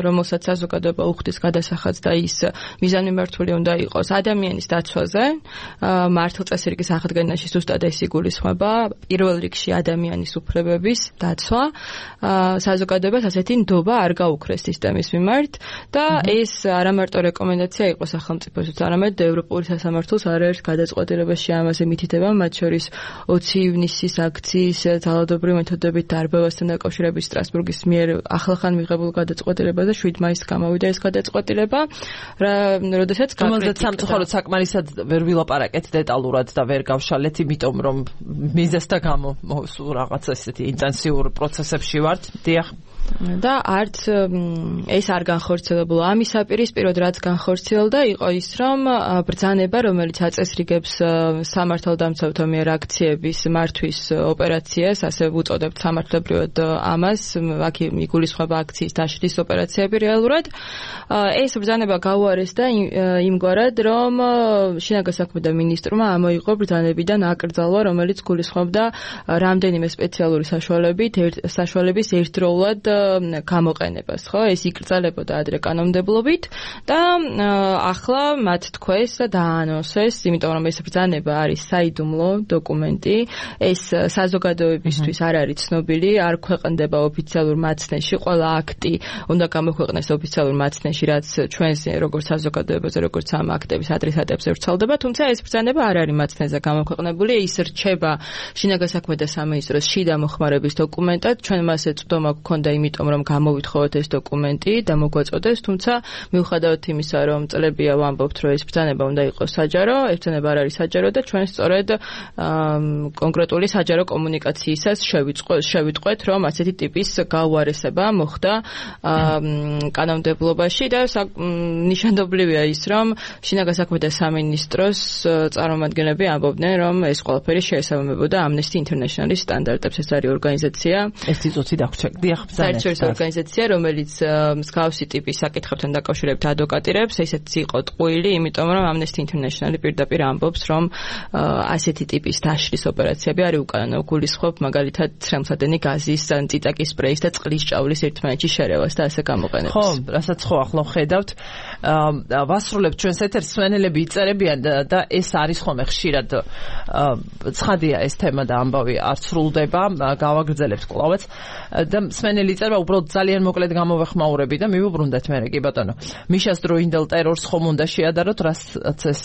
რომელსაც საზოგადოება უხდის გადასახადს და ის მიზანმიმართული უნდა იყოს ადამიანის დაცვაზე, მართლწესრიგის აღდგენაში ზუსტად ეს იგულისხმება, პირველ რიგში ადამიანის უფლებების დაცვა, საზოგადოებას ასეთი ნდობა არ გაუქრეს სისტემის მიმართ და ეს არა მარტო რეკომენდაცია იყო სახელმწიფოსთვის, არამედ ევროპული სასამართლოს არაერთ გადაწყვეტილებაში ამაზე მითითება, მათ შორის 20 ივნისის აქციის ძალადობრივი მეთოდებით დარბევასთან დაკავშირებით სტრასბურგის მიერ ახლახან მიღებულ გადაწყვეტილებაზე 7 მაისს გამოვიდა ეს გადაწყვეტილება, როდესაც სამწუხაროდ საკმარისად ვერ ვილაპარაკეთ დეტალურად და ვერ გავშალეთ, იმიტომ რომ მიზეზთა გამო სულ რაღაც ესეთი ინტენსიურ პროცესებში ვართ. დიახ. და არც ეს არ განხორციელებულა ამის საპირისპიროდ რაც განხორციელდა იყო ის რომ ბრძანება რომელიც აწესრიგებს სამართალდამცავთა მიერ აქციების მართვის ოპერაციას ასე ვუწოდებთ სამართლებრივად ამას აქ იგულისხმება აქციის დაშლის ოპერაციები რეალურად ეს ბრძანება გაუარეს და იმგვარად რომ შინაგან საქმეთა მინისტრმა ამოიღო ბრძანებიდან აკრძალვა რომელიც გულისხმობდა რამდენიმე სპეციალური საშუალებით ერთდროულად გამოყენებას, ხო? ეს იკრძალებოდა ადრე კანონმდებლობით და ახლა მათ თქვეს და დაანონსეს, იმიტომ რომ ეს ბრძანება არის საიდუმლო დოკუმენტი, ეს საზოგადოებისთვის არ არის ცნობილი, არ ქვეყნდება ოფიციალურ მაცნეში, ყველა აქტი უნდა გამოქვეყნეს ოფიციალურ მაცნეში, რაც ჩვენს როგორც საზოგადოებაზე, როგორც ამ აქტების ადრესატებს ვრცელდება, თუმცა ეს ბრძანება არ არის მაცნეზე გამოქვეყნებული, ის რჩება შინაგან საქმეთა სამინისტროს შიდა მოხმარების დოკუმენტად, ჩვენ მას ეწვდომა გქონდა იმიტომ რომ გამოვითხოვოთ ეს დოკუმენტი და მოგვაწოდეს, თუმცა მიუხედავად იმისა, რომ წლებია ვამბობთ, რომ ეს ბრძანება უნდა იყოს საჯარო, ეს ბრძანება არ არის საჯარო და ჩვენ სწორედ კონკრეტული საჯარო კომუნიკაციისას შევიტყვეთ, რომ ასეთი ტიპის გაუარესება მოხდა კანონმდებლობაში და ნიშანდობლივია ის, რომ შინაგან საქმეთა სამინისტროს წარმომადგენლები ამბობდნენ, რომ ეს ყველაფერი შეესაბამებოდა Amnesty International-ის სტანდარტებს. ეს არის ორგანიზაცია, ეს წიწოთი დაგვრჩენდია საერთაშორისო ორგანიზაცია, რომელიც მსგავსი ტიპის საკითხებთან დაკავშირებით ადვოკატირებს, ესეც იყო ტყუილი, იმიტომ რომ Amnesty International-ი პირდაპირ ამბობს, რომ ასეთი ტიპის დაშლის ოპერაციები არის უკანონო, გულისხმობ მაგალითად ცრემლსადენი გაზის, წიწაკის სპრეის და წყლის ჭავლის ერთმანეთში შერევას და ასე გამოყენებას. ხო, რასაც ხო ახლა ხედავთ, ვასრულებთ ჩვენს ეთერს, სვენელები იწერებიან და ეს არის ხოლმე ხშირად ცხადია ეს თემა და ამბავი არ სრულდება, გავაგრძელებთ კვლავაც და სვენელი იწერება უბრალოდ ძალიან მოკლედ გამოვეხმაურები და მივუბრუნდეთ მე კი ბატონო. მიშას დროინდელ ტერორს ხომ უნდა შეადაროთ, რასაც ეს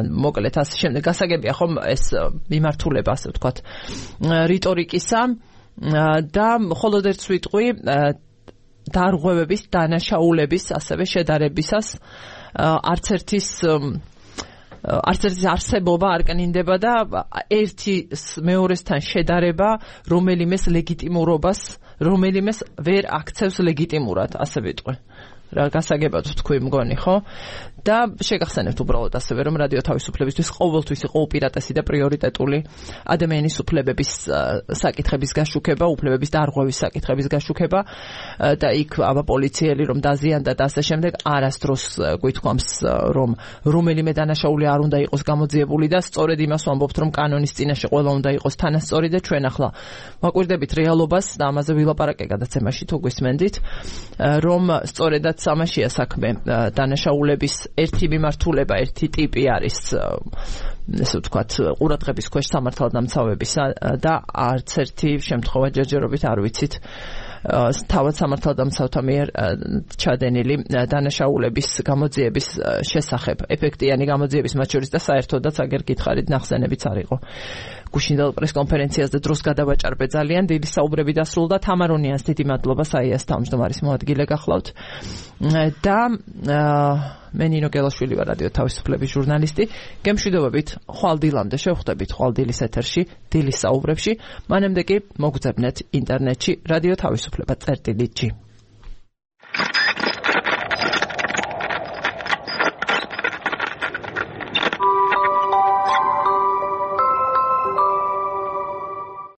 მოკლედ ასე შემდეგ გასაგებია ხომ ეს მიმართულება ასე ვთქვათ რიტორიკისა და მხოლოდ ერთ ვიტყვი დარღვევების, დანაშაულების, ასევე შედარებისას არც ერთის არსებობა არ კნინდება და ერთი მეორესთან შედარება რომელიმეს ლეგიტიმურობას, რომელიმეს ვერ აქცევს ლეგიტიმურად, ასე ვიტყვი. რა გასაგებად თქვი მგონი, ხო? და შეგახსენებთ უბრალოდ ასევე რომ რადიო თავისუფლებისთვის ყოველთვის იყო უპირატესი და პრიორიტეტული ადამიანის უფლებების საკითხების გაშუქება, უფლებების დარღვევის საკითხების გაშუქება და იქ აბა პოლიციელი რომ დაზიანდა და ასე შემდეგ არასდროს გვითქვამს რომ რომელიმე დანაშაული არ უნდა იყოს გამოძიებული და სწორედ იმას ვამბობთ რომ კანონის წინაშე ყველა უნდა იყოს თანასწორი და ჩვენ ახლა ვაკვირდებით რეალობას და ამაზე ვილაპარაკე გადაცემაში თუ გვისმენდით რომ სწორედაც ამაშია საქმე დანაშაულების ერთი მიმართულება, ერთი ტიპი არის ესე ვთქვათ ყურადღების ქვეშ სამართალდამცავებისა და არც ერთი შემთხვევა ჯერჯერობით არ ვიცით თავად სამართალდამცავთა მიერ ჩადენილი დანაშაულების გამოძიების შესახებ, ეფექტიანი გამოძიების მათ შორის და საერთოდაც აგერ გითხარით ნახსენებიც არ იყო. გუშინდელ პრესკონფერენციაზე დროს გადავაჭარბე ძალიან, დიდი საუბრები დასრულდა. თამარონიანს დიდი მადლობა, საიას თავმჯდომარის მოადგილე გახლავთ. და მე ნინო გელაშვილი ვარ, რადიო თავისუფლების ჟურნალისტი. გემშვიდობებით, ხვალ დილამდე შევხვდებით ხვალ დილის ეთერში, დილის საუბრებში. მანამდე კი მოგძებნეთ ინტერნეტში რადიო თავისუფლება წერტილი G.